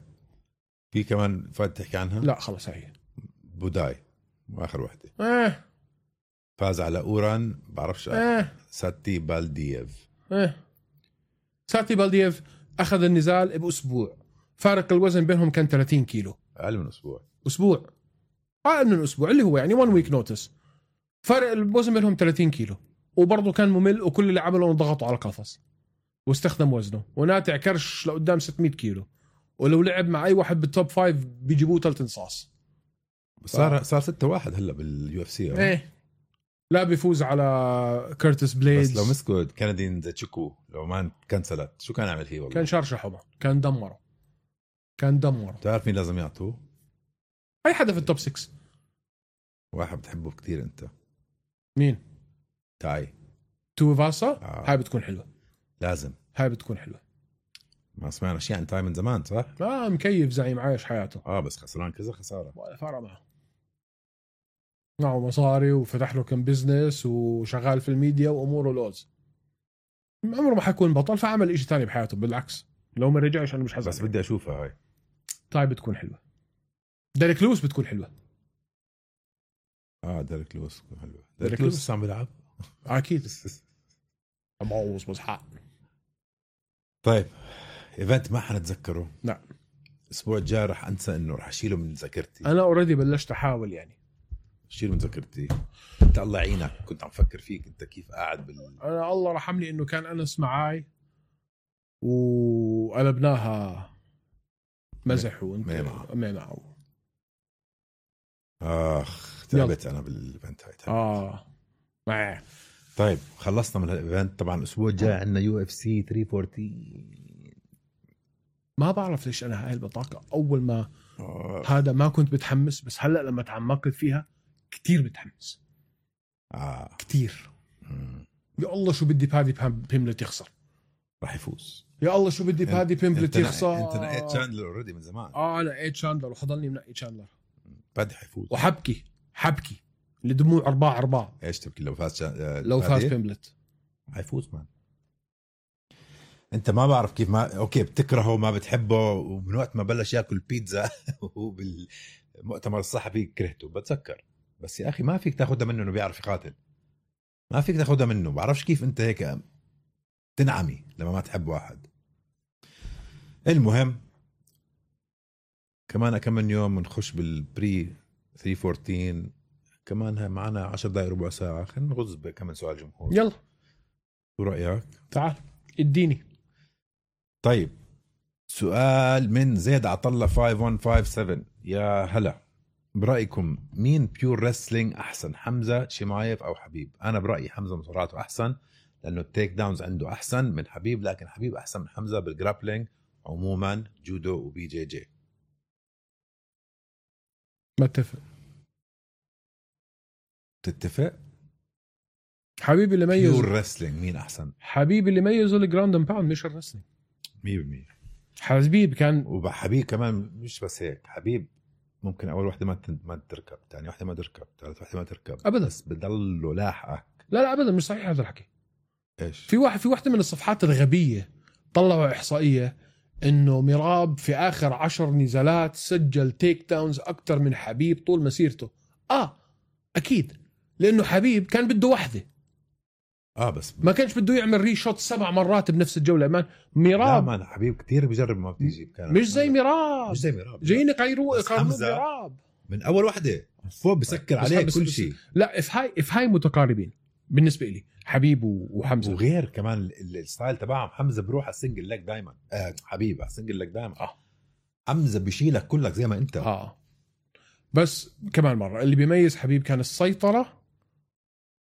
في كمان فات تحكي عنها؟ لا خلص هي بوداي واخر وحده. فاز على اوران بعرفش. ساتي بالدييف اخذ النزال باسبوع. فارق الوزن بينهم كان 30 كيلو. اقل من اسبوع اللي هو يعني 1 ويك نوتس. فارق الوزن بينهم 30 كيلو وبرضه كان ممل. وكل اللي عمله ضغطوا على القفص واستخدم وزنه وناتع كرش لقدام 600 كيلو. ولو لعب مع اي واحد بالتوب 5 بيجيبوه 3 انصاص. صار 6-1 هلا باليو اف سي. لا بيفوز على كيرتس بليدز. بس لو مسكوا كندين زاتشيكو لو ما كنسلت شو كان عمل هي؟ والله كان شرشحه. كان دمره. تعرف مين لازم يعطوه؟ اي حدا في التوب 6. واحد بتحبه كتير انت. مين؟ تاي توفاسا. هاي بتكون حلوة. لازم. هاي بتكون حلوة. ما سمعنا شيء عن تاي من زمان صح؟ مكيف زعيم عايش حياته. بس خسران كذا خسارة. ولا فرق معه مصاري وفتح له كم بزنس وشغال في الميديا وأموره لوز. عمره ما حيكون بطل. فعمل إشي تاني بحياته. بالعكس لو ما رجعش أنا مش حزن. بس بدي أشوفها هاي. طيب بتكون حلوة. ديريك لويس بتكون حلوة. ديريك لويس بتكون حلوة. ديريك لويس عم بيلعب أكيد. أبوظ بس حق. طيب إيفنت ما حنتذكره. لا الأسبوع الجاي رح أنسى إنه رح أشيله من ذاكرتي. أنا أوريدي بلشت أحاول يعني شيل من ذاكرتي. انت الله يعينك كنت عم فكر فيك انت كيف قاعد انا الله رحمني انه كان انس معاي وقلبناها مزح وانت معه. تعبت انا بالايفنت هاي. طيب خلصنا من الايفنت. طبعا الاسبوع الجاي عندنا UFC 314. ما بعرف ليش انا هاي البطاقه اول ما هذا ما كنت بتحمس، بس هلا لما تعمقت فيها كتير بتحمس. كتير. يا الله شو بدي بادي بيمبلت يخسر. راح يفوز. يا الله شو بدي بادي بيمبلت يخسر. انت نقيت شاندلر اوريدي من زمان. انا نقيت شاندلر وحضلني منقي شاندلر. بادي حيفوز. وحبكي الدموع أرباع. ايش تبكي لو فاز لو فاز بيمبلت حيفوز مان. انت ما بعرف كيف ما اوكي بتكرهه ما بتحبه، ومن وقت ما بلش ياكل بيتزا وهو بالمؤتمر الصحفي كرهته بتذكر. بس يا اخي ما فيك تاخدها منه انه بيعرف يقاتل، ما فيك تاخدها منه. بعرفش كيف انت هيك تنعمي لما ما تحب واحد. المهم كمان كم من يوم نخش بالبري 314 كمان معنا 10 دقائق ربع ساعة. خلينا نغز بكم سؤال جمهور. يلا شو رأيك؟ تعال اديني. طيب سؤال من زيد عطلة 5157. يا هلا، برأيكم مين بيور ريسلينج أحسن، حمزة شمايف أو حبيب؟ أنا برأيي حمزة مصاراته أحسن لأنه التيك داونز عنده أحسن من حبيب، لكن حبيب أحسن من حمزة بالجرابلينج عموما، جودو وبي جي جي. بتفق. تتفق؟ حبيبي اللي ميز بيور ريسلينج مين أحسن؟ حبيبي اللي ميزه الجراوند اند باوند مش الريسلينج 100%. حبيب كان وحبيب كمان مش بس هيك، حبيب ممكن أول واحدة ما تركب، ثاني واحدة ما تركب، ثالث واحدة ما تركب أبدا، بس بضله لاحقك. لا أبدا مش صحيح هذا الحكي. إيش؟ في واحدة من الصفحات الغبية طلعوا إحصائية إنه ميراب في آخر 10 نزالات سجل تيك داونز أكتر من حبيب طول مسيرته. أكيد لأنه حبيب كان بده واحدة، بس ما كانش بده يعمل ريشوت 7 مرات بنفس الجولة. ما ميراب لا حبيب كتير بيجرب ما بتيجي. مش زي ميراب جايين يقيروا ميراب من أول واحدة فوق بسكر عليه كل شيء. لا if هاي متقاربين بالنسبة لي حبيب وحمزة. وغير كمان الستايل تبعهم، حمزة بروح على السنجل لك دايما، حبيب على السنجل لك دايما. حمزة بيشيلك كلك زي ما انت. بس كمان مرة اللي بيميز حبيب كان السيطرة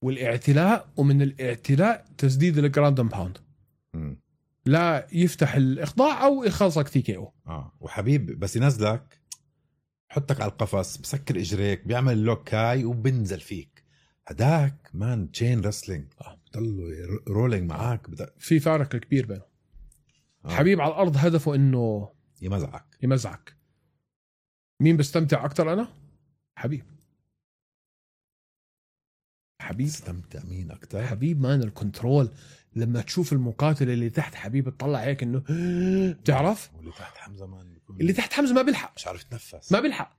والاعتلاء، ومن الاعتلاء تسديد الجراوند اند باوند، لا يفتح الإخضاع أو يخلصك تي كي او. وحبيب بس ينزلك حطك على القفص، بسكر إجريك، بيعمل لوك هاي وبنزل فيك. هداك مان تشين رسلينج، بضلوا رولينج معاك. في فارق كبير بينه. حبيب على الأرض هدفه إنه يمزعك. مين بستمتع أكتر؟ أنا حبيب استمتع. مين أكتر؟ حبيب مان الكنترول. لما تشوف المقاتل اللي تحت حبيب تطلع هيك إنه بتعرف، واللي تحت حمزة مان اللي تحت حمزة ما بيلحق، مش عارف يتنفس، ما بيلحق.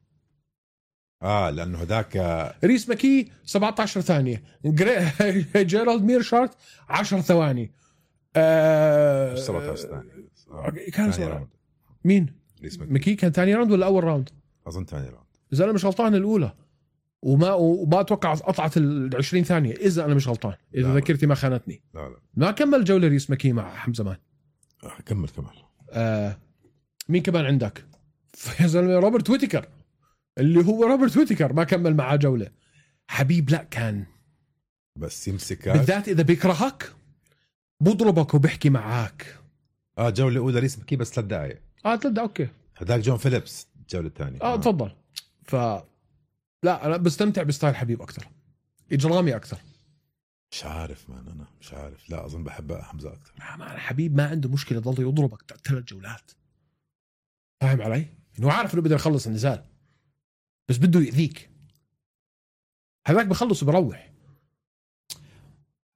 لأنه هداك ريس ماكي 17 ثانية، جيرالد ميرشارت 10 ثواني، 17 ثانية كان ثاني مين؟ ريس ماكي كان ثاني راوند ولا أول راوند؟ أظن ثاني راوند إذا أنا مش غلطان الأولى، وما أتوقع قطعت 20 ثانية إذا أنا مش غلطان، إذا ذاكرتي ما خانتني. لا ما كمل جولة ريس ماكي مع حمزة مان. كمل. مين كمان عندك؟ يا زلمة روبرت ويتيكر، اللي هو روبرت ويتيكر ما كمل معاه جولة. حبيب لا كان بس يمسكك، بالذات إذا بيكرهك بضربك وبيحكي معاك. جولة أولى ريس ماكي بس 3 دقايق. 3 دقايق أوكي. هداك جون فيليبس الجولة الثانية. تفضل. لا أنا بستمتع بستايل حبيب أكتر، إجرامي أكتر. مش عارف مان، أنا مش عارف. لا أظن بحب حمزة أكتر. حبيب ما عنده مشكلة ضل يضربك 3 جولات، فاهم علي؟ إنه عارف إنه بده يخلص النزال بس بده يأذيك. هذاك بخلص بروح.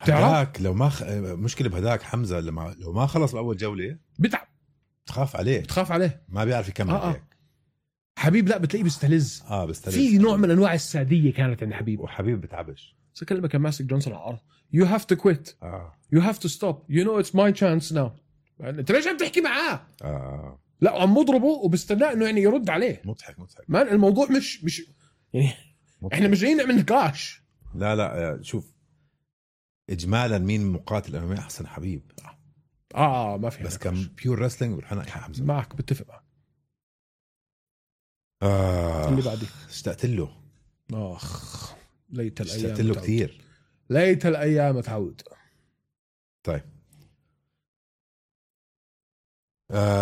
هذاك لو ما مشكلة بهداك حمزة لو ما خلص بأول جولة بتعب، تخاف عليه ما بيعرف يكمل. هيك حبيب لا بتلاقيه بيستلز. في نوع من انواع الساديه كانت عند حبيب. وحبيب بتعبش. لما كان ماسك جونسون على الارض you have to quit you have to stop you know it's my chance now. انت ليش عم تحكي معاه؟ لا عم مضربه وبستناه انه يعني يرد عليه. مضحك مان الموضوع مش يعني مضحك. احنا مش جايين نعمل نقاش. لا شوف اجمالا مين مقاتل انه احسن حبيب. ما في بس كان بيور رسلينج والحنا حمزة. معك بتفق معك. اللي بعدي اشتقت له اخ ليت الايام اشتقت له كثير. ليت الايام تعود. طيب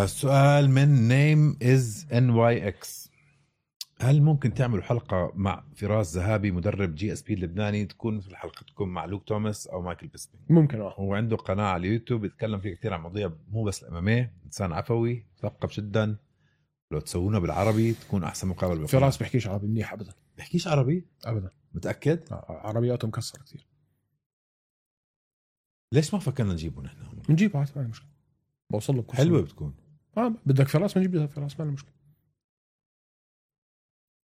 سؤال من نيم از NYX. هل ممكن تعملوا حلقة مع فراس ذهابي مدرب GSP اللبناني تكون في حلقتكم مع لوك توماس أو مايكل بيسبين؟ ممكن. هو عنده قناة على اليوتيوب بيتكلم فيه كتير عن مواضيع مو بس الأمامية. إنسان عفوي مثقف جدا. لو تسوونه بالعربي تكون أحسن مقابلة. فراس بيحكيش عربي منيح أبدا. بيحكيش عربي أبدا. متأكد؟ عربياته مكسرة كتير. ليش ما فكرنا نجيبه نحن؟ نجيبه عادي ما مشكلة. بوصل له حلوة بتكون. بدك فراس بنجيب فراس ما له مشكلة.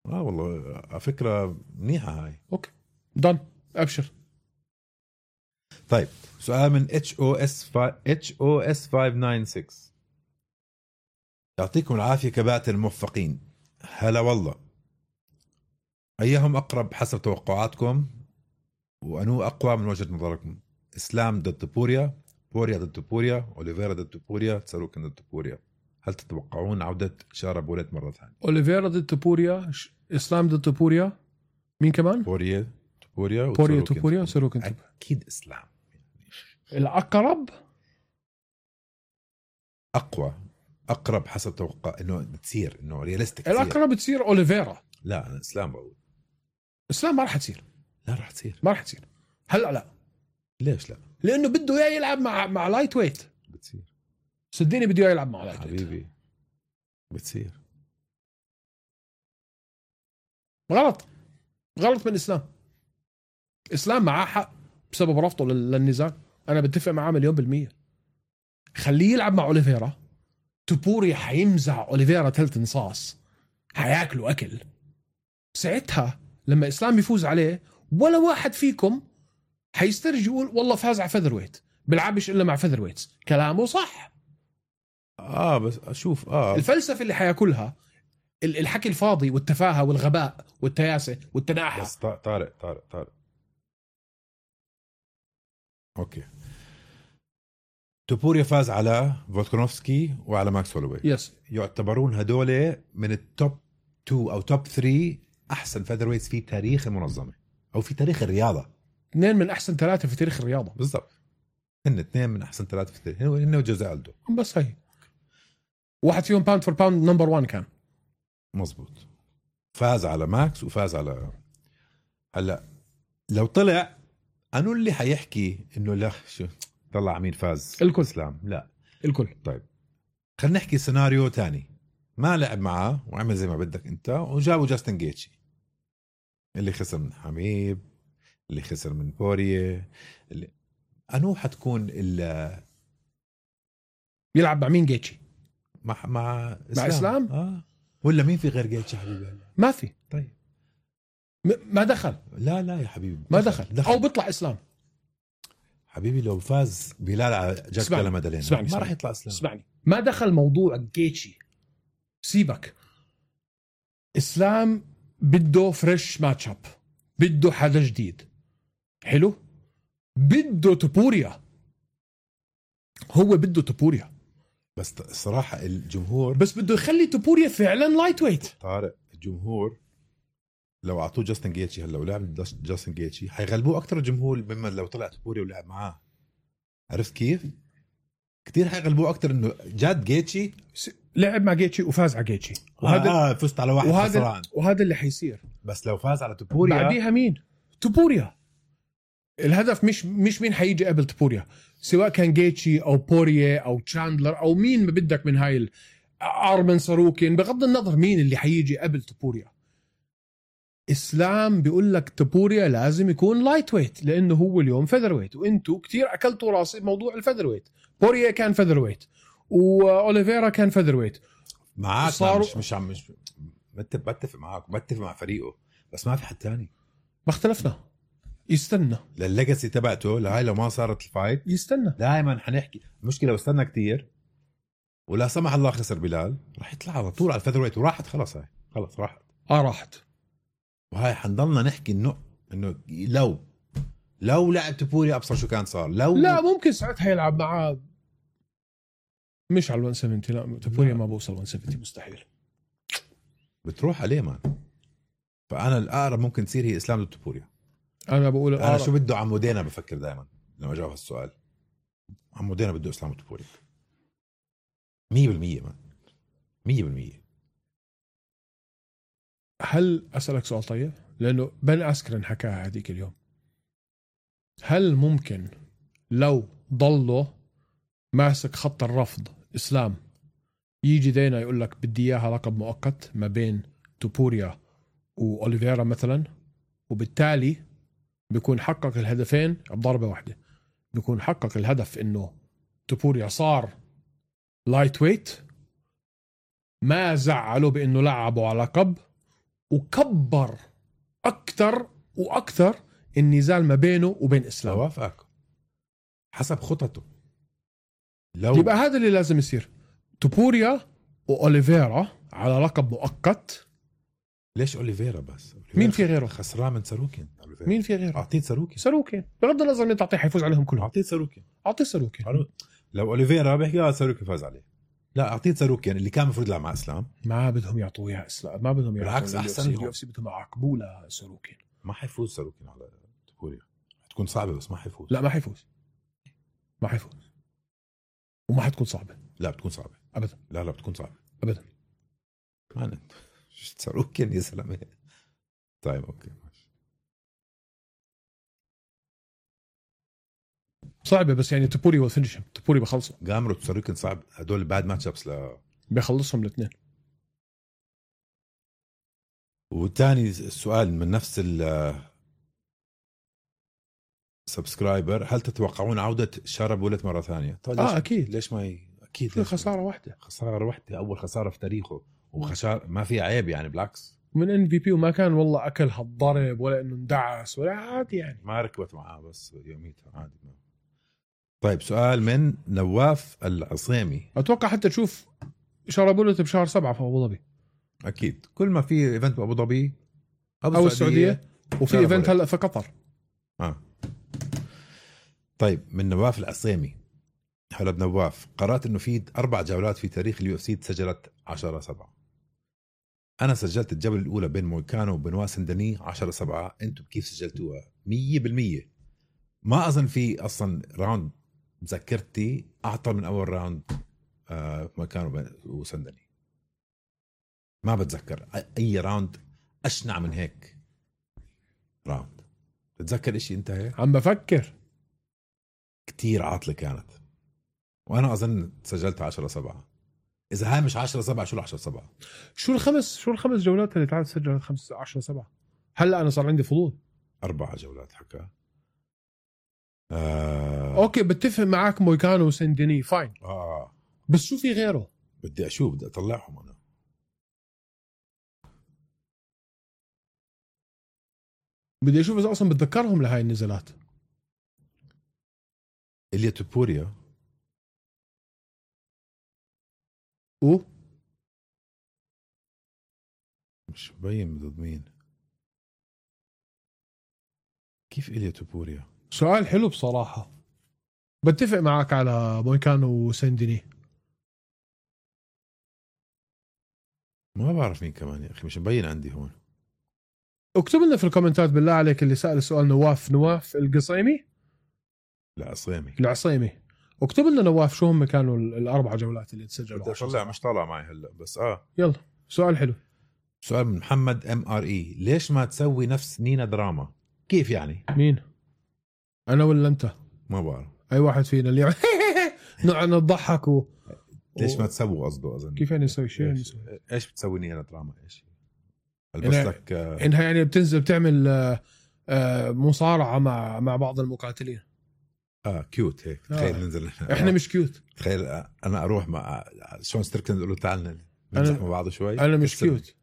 والله فكرة منيحة هاي. اوكي دون ابشر. طيب سؤال من HOS 596. يعطيكم العافية كباتن الموفقين. هلا والله. أيهم أقرب حسب توقعاتكم وأنو أقوى من وجهة نظركم؟ إسلام ضد بوريا، بوريا ضد بوريا، أوليفيرا ضد بوريا، تساروكن ضد بوريا. هل تتوقعون عودة شارة بوليت مرة ثانية؟ أوليفيرا ضد بوريا، إسلام ضد بوريا، مين كمان؟ بوريا وساروكن. أكيد إسلام الأقرب أقرب حسب توقع إنه تصير إنه رياليستيك. الأقرب تصير أوليفيرا. لا أنا إسلام بقول. إسلام ما راح تصير. لا راح تصير. ما راح تصير. هلا لا. ليش لا؟ لأنه بده إياه يلعب مع لايت ويت. بتصير. صدقني بده إياه يلعب مع لايت ويت. حبيبي بتصير. غلط من إسلام معاه حق بسبب رفضه للنزال. أنا بتفق معاه 1,000,000%. خليه يلعب مع أوليفيرا. توبوريا حيمزع أوليفيرا ثلث نصاص، حياكلوا أكل. ساعتها لما إسلام يفوز عليه ولا واحد فيكم حيسترجي يقول والله فاز على فيذر ويت، بلعبش إلا مع فيذر ويتس. كلامه صح. بس أشوف الفلسفة اللي حياكلها الحكي الفاضي والتفاهة والغباء والتياسة والتناحة. بس طارق اوكي. توبوريا فاز على فولكانوفسكي وعلى ماكس هولوي. يس. يعتبرون هدول من التوب 2 او توب 3 احسن فيذرويتس في تاريخ المنظمة او في تاريخ الرياضة. 2 من احسن 3 في تاريخ الرياضة. بالضبط. هن 2 من احسن 3 في التاريخ. هن وجوزي ألدو. بس هي واحد فيهم باوند فور باوند نمبر 1 كان. مزبوط. فاز على ماكس وفاز على. هلا لو طلع أنو اللي حيحكي إنه لا شو طلع مين فاز؟ الكل. إسلام لا الكل. طيب خلينا نحكي سيناريو تاني. ما لعب معاه وعمل زي ما بدك أنت وجابوا جاستن جيتشي اللي خسر من حبيب، اللي خسر من بوريه، اللي أنو حتكون يلعب مع مين جيتشي؟ مع إسلام؟ ولا مين في غير جيتشي حبيبي؟ ما في. طيب ما دخل. لا يا حبيبي ما دخل. أو بيطلع إسلام حبيبي. لو فاز بلال على جاك مادالين ما راح يطلع إسلام. اسمعني، ما دخل موضوع جيتشي. سيبك. إسلام بده فريش ماتش اب، بده حدا جديد. حلو. بده توبوريا. هو بده توبوريا. بس الصراحة الجمهور بس بده يخلي توبوريا فعلا لايت ويت. طارق الجمهور لو أعطوه جاستن جيتشي هلا ولعب جاستن جيتشي حيغلبوه أكتر الجمهور مما لو طلع توبوريا ولعب معاه. عرفت كيف؟ كتير حيغلبوه أكتر إنه جاد جيتشي لعب مع جيتشي وفاز على جيتشي فزت على واحد خسران. وهذا اللي حيصير. بس لو فاز على توبوريا بعديها مين؟ توبوريا. الهدف مش مين حيجي قبل توبوريا، سواء كان جيتشي او بوريه او تشاندلر او مين ما بدك من هاي ارمن ساروكين، بغض النظر مين اللي حيجي قبل توبوريا. إسلام بيقول لك توبوريا لازم يكون لايت ويت لانه هو اليوم فيذر ويت، وانتو كتير اكلتوا راسي بموضوع الفيذر ويت. بوريه كان فيذر ويت واوليفيرا كان فيذر ويت. معاك مش بتفق معاك، بتفق مع فريقه، بس ما في حد تاني. ما اختلفنا. يستنى للليجاسي تبعته لهاي لو ما صارت الفايت يستنى. دائما حنحكي المشكله لو استنى كتير ولا سمح الله خسر بلال راح يطلع على طول على الفيذر ويت وراحت خلاص. هاي خلاص راحت. وهاي حنضلنا نحكي انه لو لعب توبوريا ابصر شو كان صار. لا ممكن ساعتها يلعب معاه مش على 170. لا توبوريا ما بوصل 170 مستحيل. بتروح عليه مان. فانا الاقرب ممكن تصير هي اسلام ضد توبوريا. انا بقول انا شو بده عمودينا بفكر دائما لما اجاوب هالسؤال. عمودينا بده اسلام ضد توبوريا 100%. ما 100%. هل اسالك سؤال طيب، لانه بن اسكرن حكاها هذيك اليوم، هل ممكن لو ضلوا ماسك خط الرفض اسلام يجي دينا يقول لك بدي اياها لقب مؤقت ما بين توبوريا واوليفيرا مثلا، وبالتالي بيكون حقق الهدفين بضربة واحدة، بيكون حقق الهدف انه توبوريا صار لايت ويت، ما زعلوا بانه لعبوا على لقب، وكبر اكثر واكثر النزال ما بينه وبين اسلام. وافقك حسب خطته. لو يبقى هذا اللي لازم يصير، توبوريا واوليفيرا على لقب مؤقت. ليش اوليفيرا بس؟ مين في غيره؟ خسران من ساروكين. مين في غيره؟ اعطيت ساروكين بغض النظر مين تعطيه حيفوز عليهم كلهم. اعطيت ساروكين. اعطيه ساروكين. لو اوليفيرا بيحكي ساروكين فاز عليه، لا اعطيت ساروكين اللي كان المفروض يلعب مع اسلام. ما بدهم يعطوه اياه اسلام، ما بدهم يعطوه. بالعكس احسن اليو اف سي بدهم يعاقبوه لساروكين. ما حيفوز ساروكين على توبوريا، حتكون صعبه بس ما حيفوز. لا ما حيفوز، ما حيفوز، وما حتكون صعبه. لا بتكون صعبه ابدا. لا بتكون صعبه ابدا. ما انت ساروكين يا زلمه. طيب اوكي ماشي. صعبه بس يعني توبوري والفينيشن، توبوري بخلصوا. جامرو ساروكين صعب، هدول باد ماتش ابس بيخلصهم الاثنين. وتاني السؤال من نفس سبسكرايبر، هل تتوقعون عودة شاربولت مرة ثانية؟ طيب أكيد. ليش ما أكيد خسارة واحدة. خسارة واحدة، أول خسارة في تاريخه، وخسارة ما في عيب يعني، بالعكس من MVP، وما كان والله أكل هالضرب ولا إنه اندعس ولا عادي يعني، ما ركبت معاه بس يوميتها عادي. طيب سؤال من نواف العصيمي. أتوقع حتى تشوف شاربولت بشهر 7 في أبو ظبي. أكيد كل ما في إيفنت بأبو ظبي أو السعودية، وفي إيفنت هلأ في قطر. طيب من نواف العصيمي. هلا بنواف، قرأت إنه في 4 جولات في تاريخ اليو اف سي تسجلت 10/7. أنا سجلت الجولة الأولى بين مويكانو وبنوا سندني 10/7. أنتم كيف سجلتوها؟ 100%. ما أظن في أصلا راوند مذكرتي أعطى من أول راوند مويكانو وسندني. ما بتذكر أي راوند أشنع من هيك راوند. بتذكر إشي أنت هيك؟ عم بفكر. كتير عاطلة كانت، وأنا أظن سجلتها 10/7. إذا هاي مش 10/7 شو 10/7؟ شو الخمس جولات اللي تعال سجلت 10/7؟ هلا أنا صار عندي فضول. 4 جولات حكا. أوكي بتفق معاك مويكانو وسندني فاين. بس شو في غيره؟ بدي أشوف، بدي أطلعهم أنا. بدي أشوف إذا أصلا بتذكرهم لهاي النزلات. إليا توبوريا مش مبين ضد مين. كيف إليا توبوريا؟ سؤال حلو بصراحة. بتفق معك على مويكانو وسندني. ما بعرف مين كمان يا أخي، مش مبين عندي هون. اكتب لنا في الكومنتات بالله عليك اللي سأل السؤال. نواف القصيمي، العصيمي. اكتب لنا نواف شو هم كانوا ال4 جولات اللي تسجلوا. بدي أطلع، مش طالع معي هلا بس يلا سؤال حلو. سؤال من محمد MRE. ليش ما تسوي نفس نينا دراما؟ كيف يعني؟ مين؟ أنا ولا أنت؟ ما بعرف. أي واحد فينا اللي نقعد نضحك ليش ما تسوي قصده أظن. كيف يعني نسوي شيء؟ إيش بتسوي نينا دراما؟ إيش؟ ألبس لك إنها يعني بتنزل بتعمل مصارعة مع بعض المقاتلين. كيوت هيك. تخيل ننزل احنا مش كيوت. تخيل انا اروح مع شون ستريكلاند اقول له تعال نمزح مع بعض شوي. انا مش كيوت.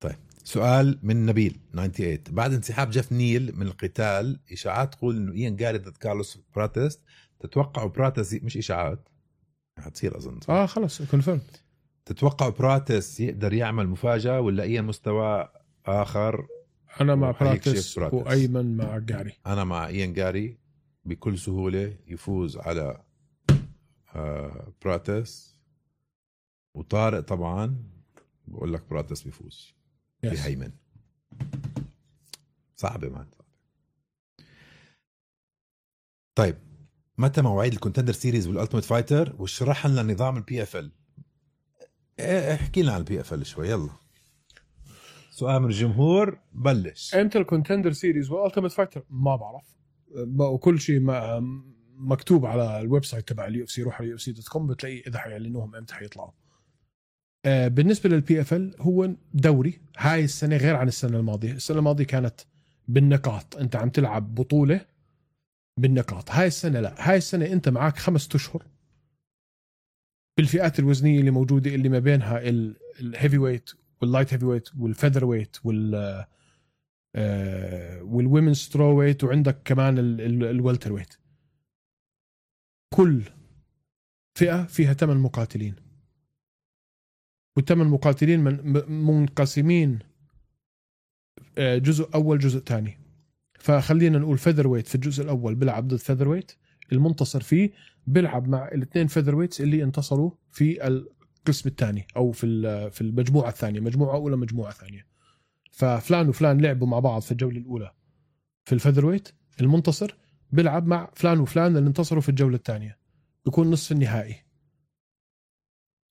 طيب سؤال من نبيل 98. بعد انسحاب جيف نيل من القتال، اشاعات تقول انه إيان جاري ضد كارلوس براتيس. تتوقعوا براتيس، مش اشاعات هتصير اظن خلص كونفيرم، تتوقعوا براتيس يقدر يعمل مفاجأة ولا اي مستوى اخر؟ أنا مع براتيس وأيمن مع جاري. أنا مع إيان جاري بكل سهولة يفوز على براتيس. وطارق طبعا بقول لك براتس بيفوز بهيمن. صعبة مان. طيب متى مواعيد الكونتندر سيريز والالتيميت فايتر؟ واشرح لنا نظام البي اف ال. احكي لنا عن البي اف ال شوي. يلا سؤال من الجمهور. بلش. امتى الكونتندر سيريز والالتيميت فايتر؟ ما بعرف، وكل شيء مكتوب على الويب سايت تبع اليو اف سي. روح على UFC.com بتلاقي اذا حيعلنوهم امتى حيطلعوا. بالنسبه للبي اف ال هو دوري هاي السنه غير عن السنه الماضيه. السنه الماضيه كانت بالنقاط، انت عم تلعب بطوله بالنقاط. هاي السنه لا، هاي السنه انت معك 5 أشهر بالفئات الوزنيه اللي موجوده، اللي ما بينها الهيفي ويت واللايت هيفي ويت والفيذر ويت والويمن سترو ويت، وعندك كمان الوالتر ويت. كل فئه فيها 8 مقاتلين، والثمان مقاتلين منقسمين جزء اول جزء ثاني. فخلينا نقول فيذر ويت في الجزء الاول بيلعب ضد فيذر ويت، المنتصر فيه بيلعب مع الاثنين فيذر ويتس اللي انتصروا في القسم الثاني او في المجموعه الثانيه، مجموعه اولى مجموعه ثانيه. ففلان وفلان لعبوا مع بعض في الجوله الاولى في الفيذر ويت، المنتصر بيلعب مع فلان وفلان اللي انتصروا في الجوله الثانيه، بيكون نصف النهائي.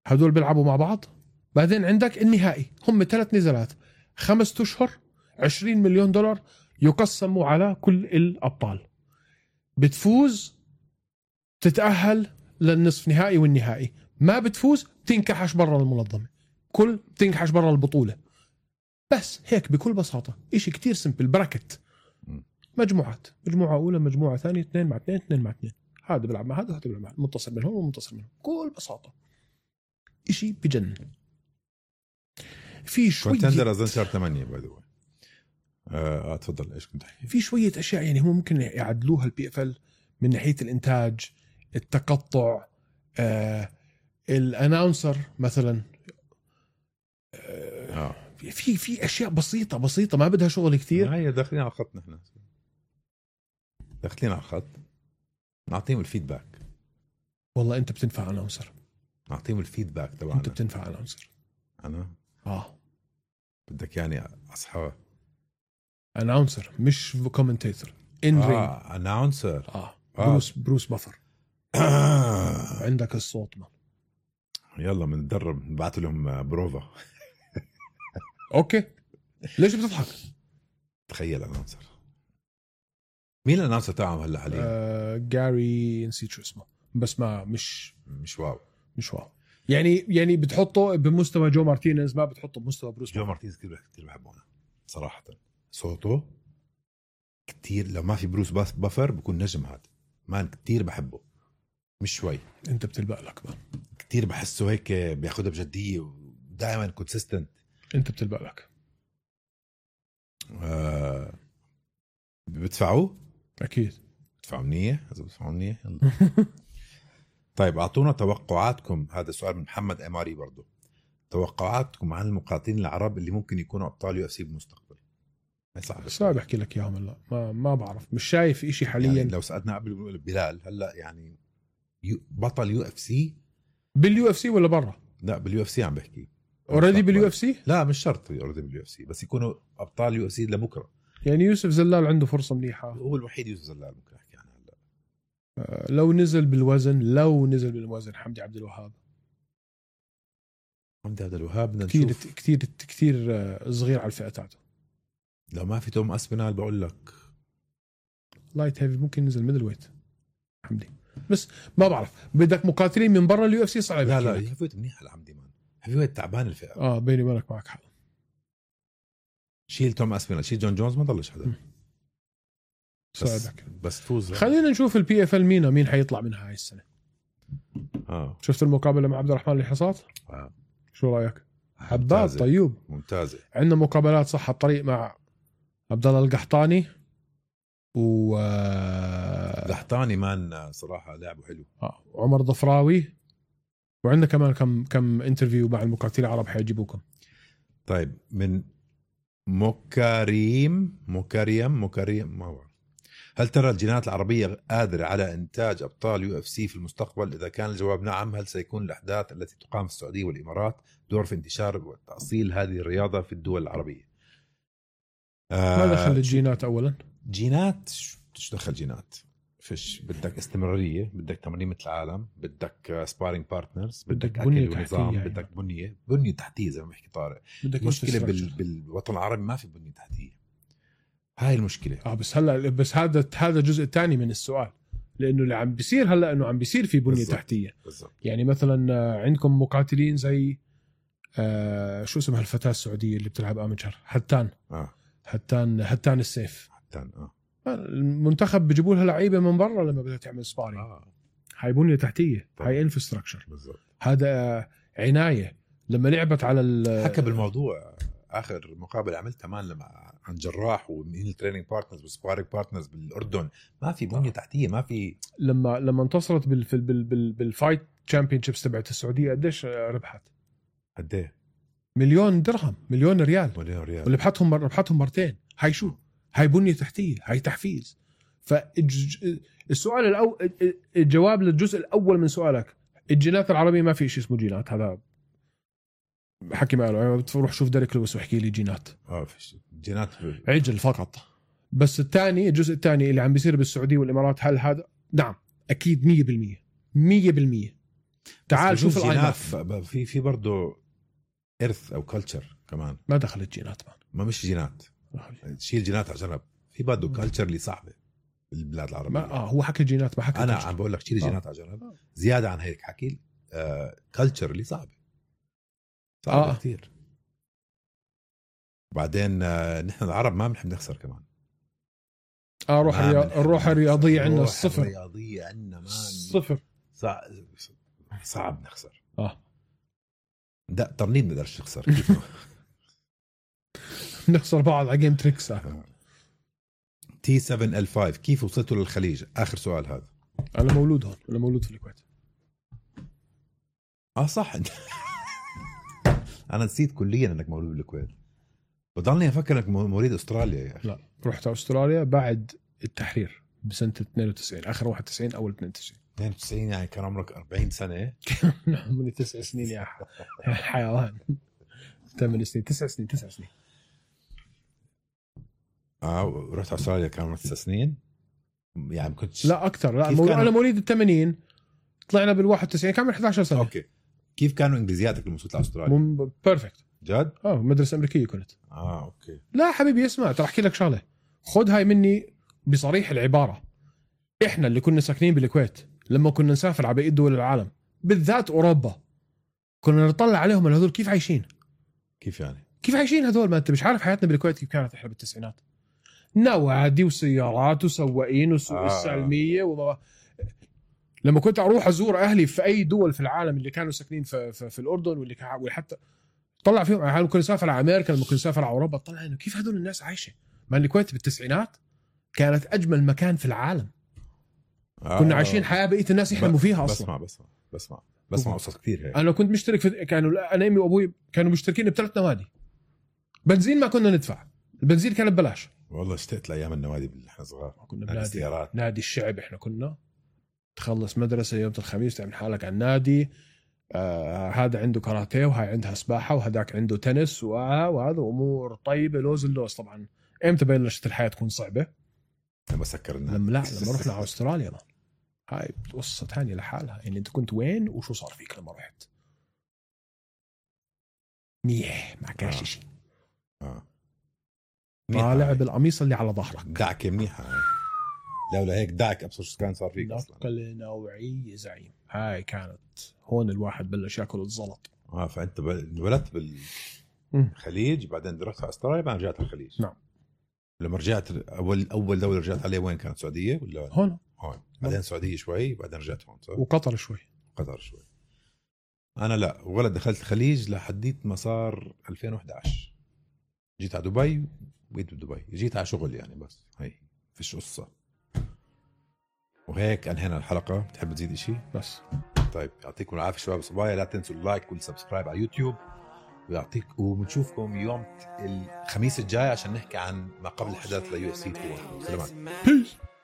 هدول بيلعبوا مع بعض. بعدين عندك النهائي، هم 3 نزالات 5 أشهر، $20 مليون يقسموا على كل الأبطال. بتفوز تتأهل للنصف نهائي والنهائي، ما بتفوز تنكحش برا المنظمة، تنكحش برا البطولة. بس هيك بكل بساطة، إشي كتير سمبل. براكت مجموعات، مجموعة أولى مجموعة ثانية، 2 مع 2 2 مع 2، هذا بيلعب مع هذا وهذا بيلعب مع هذا، منتصر من هون ومنتصر من هون، بكل بساطة. إشي بجنن. في شوية كونتندر أظن شهر 8 باي ذا واي. تفضل. ايش كنت تحكي؟ في شويه اشياء يعني هم ممكن يعدلوها البي اف ال من ناحيه الانتاج، التقطع، الاناونسر مثلا. في اشياء بسيطه ما بدها شغل كتير. هي داخلين على الخط، نحن داخلين على الخط، نعطيهم الفيدباك. والله انت بتنفع اناونسر، نعطيهم الفيدباك تبعنا. انت بتنفع اناونسر. انا بدك يعني اصحى اناونسر مش كومنتيتور. ان رينج اناونسر. بروس بافر. عندك الصوت ما. يلا بنتدرب، نبعث لهم بروفا. اوكي ليش بتضحك؟ تخيل اناونسر. مين الاناونسر تاعهم هلا حاليا؟ جاري نسيت شو اسمه، بس ما مش واو. مش واو يعني بتحطه بمستوى جو مارتينيز، ما بتحطه بمستوى بروس. جو مارتينيز كتير بحبه انا صراحه. صوته كتير، لو ما في بروس بافر بكون نجم. هذا مان كتير بحبه، مش شوي. انت بتلبق لك بقى. كتير بحسه هيك بياخدها بجديه ودائما كونسيستنت. انت بتلبق لك. بتدفعوه اكيد بتدفعوا منيح. اذا بتدفعوا منيح طيب اعطونا توقعاتكم. هذا سؤال من محمد اماري برضو. توقعاتكم عن المقاتلين العرب اللي ممكن يكونوا ابطال UFC بالمستقبل. صعب احكي لك اياهم هلا، ما بعرف، مش شايف إشي حاليا. يعني لو سألنا قبل بلال هلا يعني بطل UFC باليو اف سي ولا برا؟ لا بالUFC عم بحكي. اوريدي باليو اف سي؟ لا مش شرط اوريدي بالUFC، بس يكونوا ابطال UFC لبكره. يعني يوسف زلال عنده فرصه منيحه. هو الوحيد يوسف زلال ممكن احكي عنه هلا. لو نزل بالوزن حمدي عبد الوهاب. حمدي عبد الوهاب بدنا كتير نشوف. كتير صغير على الفئه تاعته. لو ما في توم اسبينال بقول لك لايت هيفي ممكن ينزل ميدل ويت حمدي، بس ما بعرف. بدك مقاتلين من برا اليو اف سي صعب. لا هيفي ويت منيح لحمدي مان. هيفي ويت تعبان الفئه. بيني وبينك معك حق. شيل توم اسبينال، شيل جون جونز، ما ضلش حدا. بس تفوز. خلينا نشوف البي اف ال مين حيطلع منها هاي السنه. شفت المقابله مع عبد الرحمن الحصات؟ شو رايك؟ حباب طيب ممتازه. عندنا مقابلات صح الطريق مع عبد الله القحطاني قحطاني مان صراحه لعبه حلو. وعمر ضفراوي، وعندنا كمان كم انترفيو مع المقاتلين العرب حيجيبوكم. طيب من مكاريم ما هو. هل ترى الجينات العربية قادرة على إنتاج أبطال UFC في المستقبل؟ إذا كان الجواب نعم، هل سيكون الأحداث التي تقام في السعودية والإمارات دور في انتشار وتأصيل هذه الرياضة في الدول العربية؟ ما دخل الجينات أولا؟ جينات شو دخل جينات؟ فيش بدك استمرارية، بدك تمرين مثل العالم، بدك سبارينج بارتنرز، بدك أكل ونظام، يعني. بدك بنية تحتية زي ما بحكي طارق. المشكلة بالوطن العربي ما في بنية تحتية، هاي المشكلة. بس هذا الجزء الثاني من السؤال، لأنه اللي عم بيصير هلأ إنه عم بيصير في بنية تحتية. بالزبط. يعني مثلا عندكم مقاتلين زي شو اسمها الفتاة السعودية اللي بتلعب آمتشر، هتان السيف. المنتخب بيجيبوا لها لعيبة من برا لما بدها تعمل سبارينج. هاي بنية تحتية، هاي انفراستراكشر. هذا عناية. لما لعبت على حكى بالموضوع آخر مقابلة عملتها لما عن جراح ومين التريننج بارتنرز والسبارينج بارتنرز بالأردن، ما في بنية تحتية، ما في. لما انتصرت بالفايت تشامبيونشيبس تبعت السعودية قديش ربحت؟ قديه؟ $1,000,000 $1,000,000 1,000,000 وربحتهم مرتين. هاي شو؟ هاي بنية تحتية، هاي تحفيز. فالسؤال الجواب للجزء الأول من سؤالك، الجينات العربية ما في شيء اسمه جينات. هذا حكي معه، بتروح شوف ديريك لويس وحكي لي جينات. في جينات عجل فقط. بس الجزء الثاني اللي عم بيصير بالسعودية والإمارات، هل هذا؟ نعم أكيد 100%. تعال شوف الجينات. في برضه إرث أو كلتشر كمان. ما دخلت جينات ما مش جينات، شيل جينات على جنب. في برضه كلتشر اللي صعبة بالبلاد العربية. هو حكي جينات، ما حكي أنا كلتشر. عم بقول لك شيل جينات على جنب. زيادة عن هيك حكي كلتشر اللي صعبة كتير. بعدين نحن العرب ما بنحب نخسر كمان. الروح الرياضية عندنا صفر. الرياضية عندنا صفر. صعب نخسر. ده ترنيد ما نقدرش نخسر. نخسر بعض على جيم تريكس. T7L5 كيف وصلتوا للخليج؟ آخر سؤال هذا. أنا مولود هون، أنا مولود في الكويت. صح. أنا نسيت كليا أنك مولود بالكويت. بضلني أفكر أنك مواليد أستراليا يا أخي. لا، رحت أستراليا بعد التحرير بسنة 92، آخر 91 أول 92. 92 يعني كان عمرك 40 سنة. من 9 سنين يا حيوان. 8 سنين 9 سنين. رحت أستراليا كان عمرك 9 سنين يعني. كنت لا أكتر. لا أنا مواليد 80، طلعنا بال91 كان 11 سنة. أوكي. كيف كانوا إنجليزياتك لما وصلت لأستراليا؟ بيرفكت. جد؟ مدرسة أمريكية كنت. أوكي. لا حبيبي اسمع، ترى أحكي لك شغلة، خد هاي مني بصريح العبارة. إحنا اللي كنا ساكنين بالكويت لما كنا نسافر على بقية دول العالم بالذات أوروبا، كنا نطلع عليهم هذول كيف عايشين. كيف يعني؟ كيف عايشين هذول؟ ما أنت مش عارف حياتنا بالكويت كيف كانت إحنا بالتسعينات. نوادي وسيارات وسواقين وسوق السلمية لما كنت أروح أزور أهلي في أي دول في العالم اللي كانوا ساكنين في الأردن واللي حتى طلع فيهم، يعني ممكن نسافر على أمريكا، ممكن نسافر على أوروبا، طلع إنه كيف هذول الناس عايشة. ما الكويت بالتسعينات كانت أجمل مكان في العالم. كنا عايشين حياة بقية الناس يحلموا فيها أصلا. بسمع قصص كثير هيك. أنا كنت مشترك كانوا أنا أمي وأبوي كانوا مشتركين ب3 نوادي. بنزين ما كنا ندفع، البنزين كان ببلاش. والله اشتقت لأيام النوادي اللي احنا صغار. كنا نادي الشعب. احنا كنا تخلص مدرسة يوم الخميس تعمل حالك على النادي. هذا عنده كاراتيه وهاي عندها سباحة وهداك عنده تنس وهذا أمور طيبة لوز اللوز. طبعا امتى بلشت الحياة تكون صعبة؟ لما سكرنا. لما رحنا على أستراليا. هاي قصة تانية لحالها. يعني انت كنت وين وشو صار فيك لما رحت؟ ما كانش شيء. طالع بالقميص اللي على ظهرك. دعك منيحة. لولا هيك دعك أبصر شو كان صار فيك أصلا. نقل نوعية زعيم. هاي كانت هون الواحد بلش ياكل الزلط. فأنت انولدت بالخليج، بعدين رحت على أستراليا، بعدين رجعت الخليج. نعم. لما رجعت أول دولة رجعت عليها وين كانت؟ السعودية ولا هون؟ بعدين السعودية شوي، بعدين رجعت هون. صح؟ وقطر شوي. أنا لا، ولا دخلت الخليج لحديت ما صار 2011. جيت على دبي وبقيت بدبي. جيت على شغل يعني، بس هي فيش قصة. وهيك أنهينا الحلقة. بتحب تزيد إشي؟ بس طيب، يعطيكم العافية شباب صبايا. لا تنسوا اللايك والسبسكرايب على يوتيوب، وبنشوفكم يوم الخميس الجاي عشان نحكي عن ما قبل الحدث ليو اف سي 2. سلامات.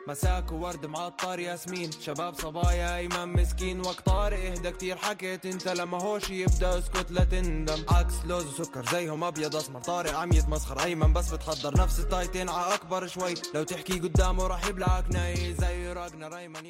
مساك وورد معطر ياسمين شباب صبايا ايمن مسكين وقت طارق اهدى كتير حكيت انت لما هوش يبدا اسكت لا تندم عكس لوز وسكر زيهم ابيض اسمر طارق عم يتمسخر ايمن بس بتحضر نفس التايتين ع اكبر شوي لو تحكي قدامه راح يبلعك ناي زي راجنر ايمن.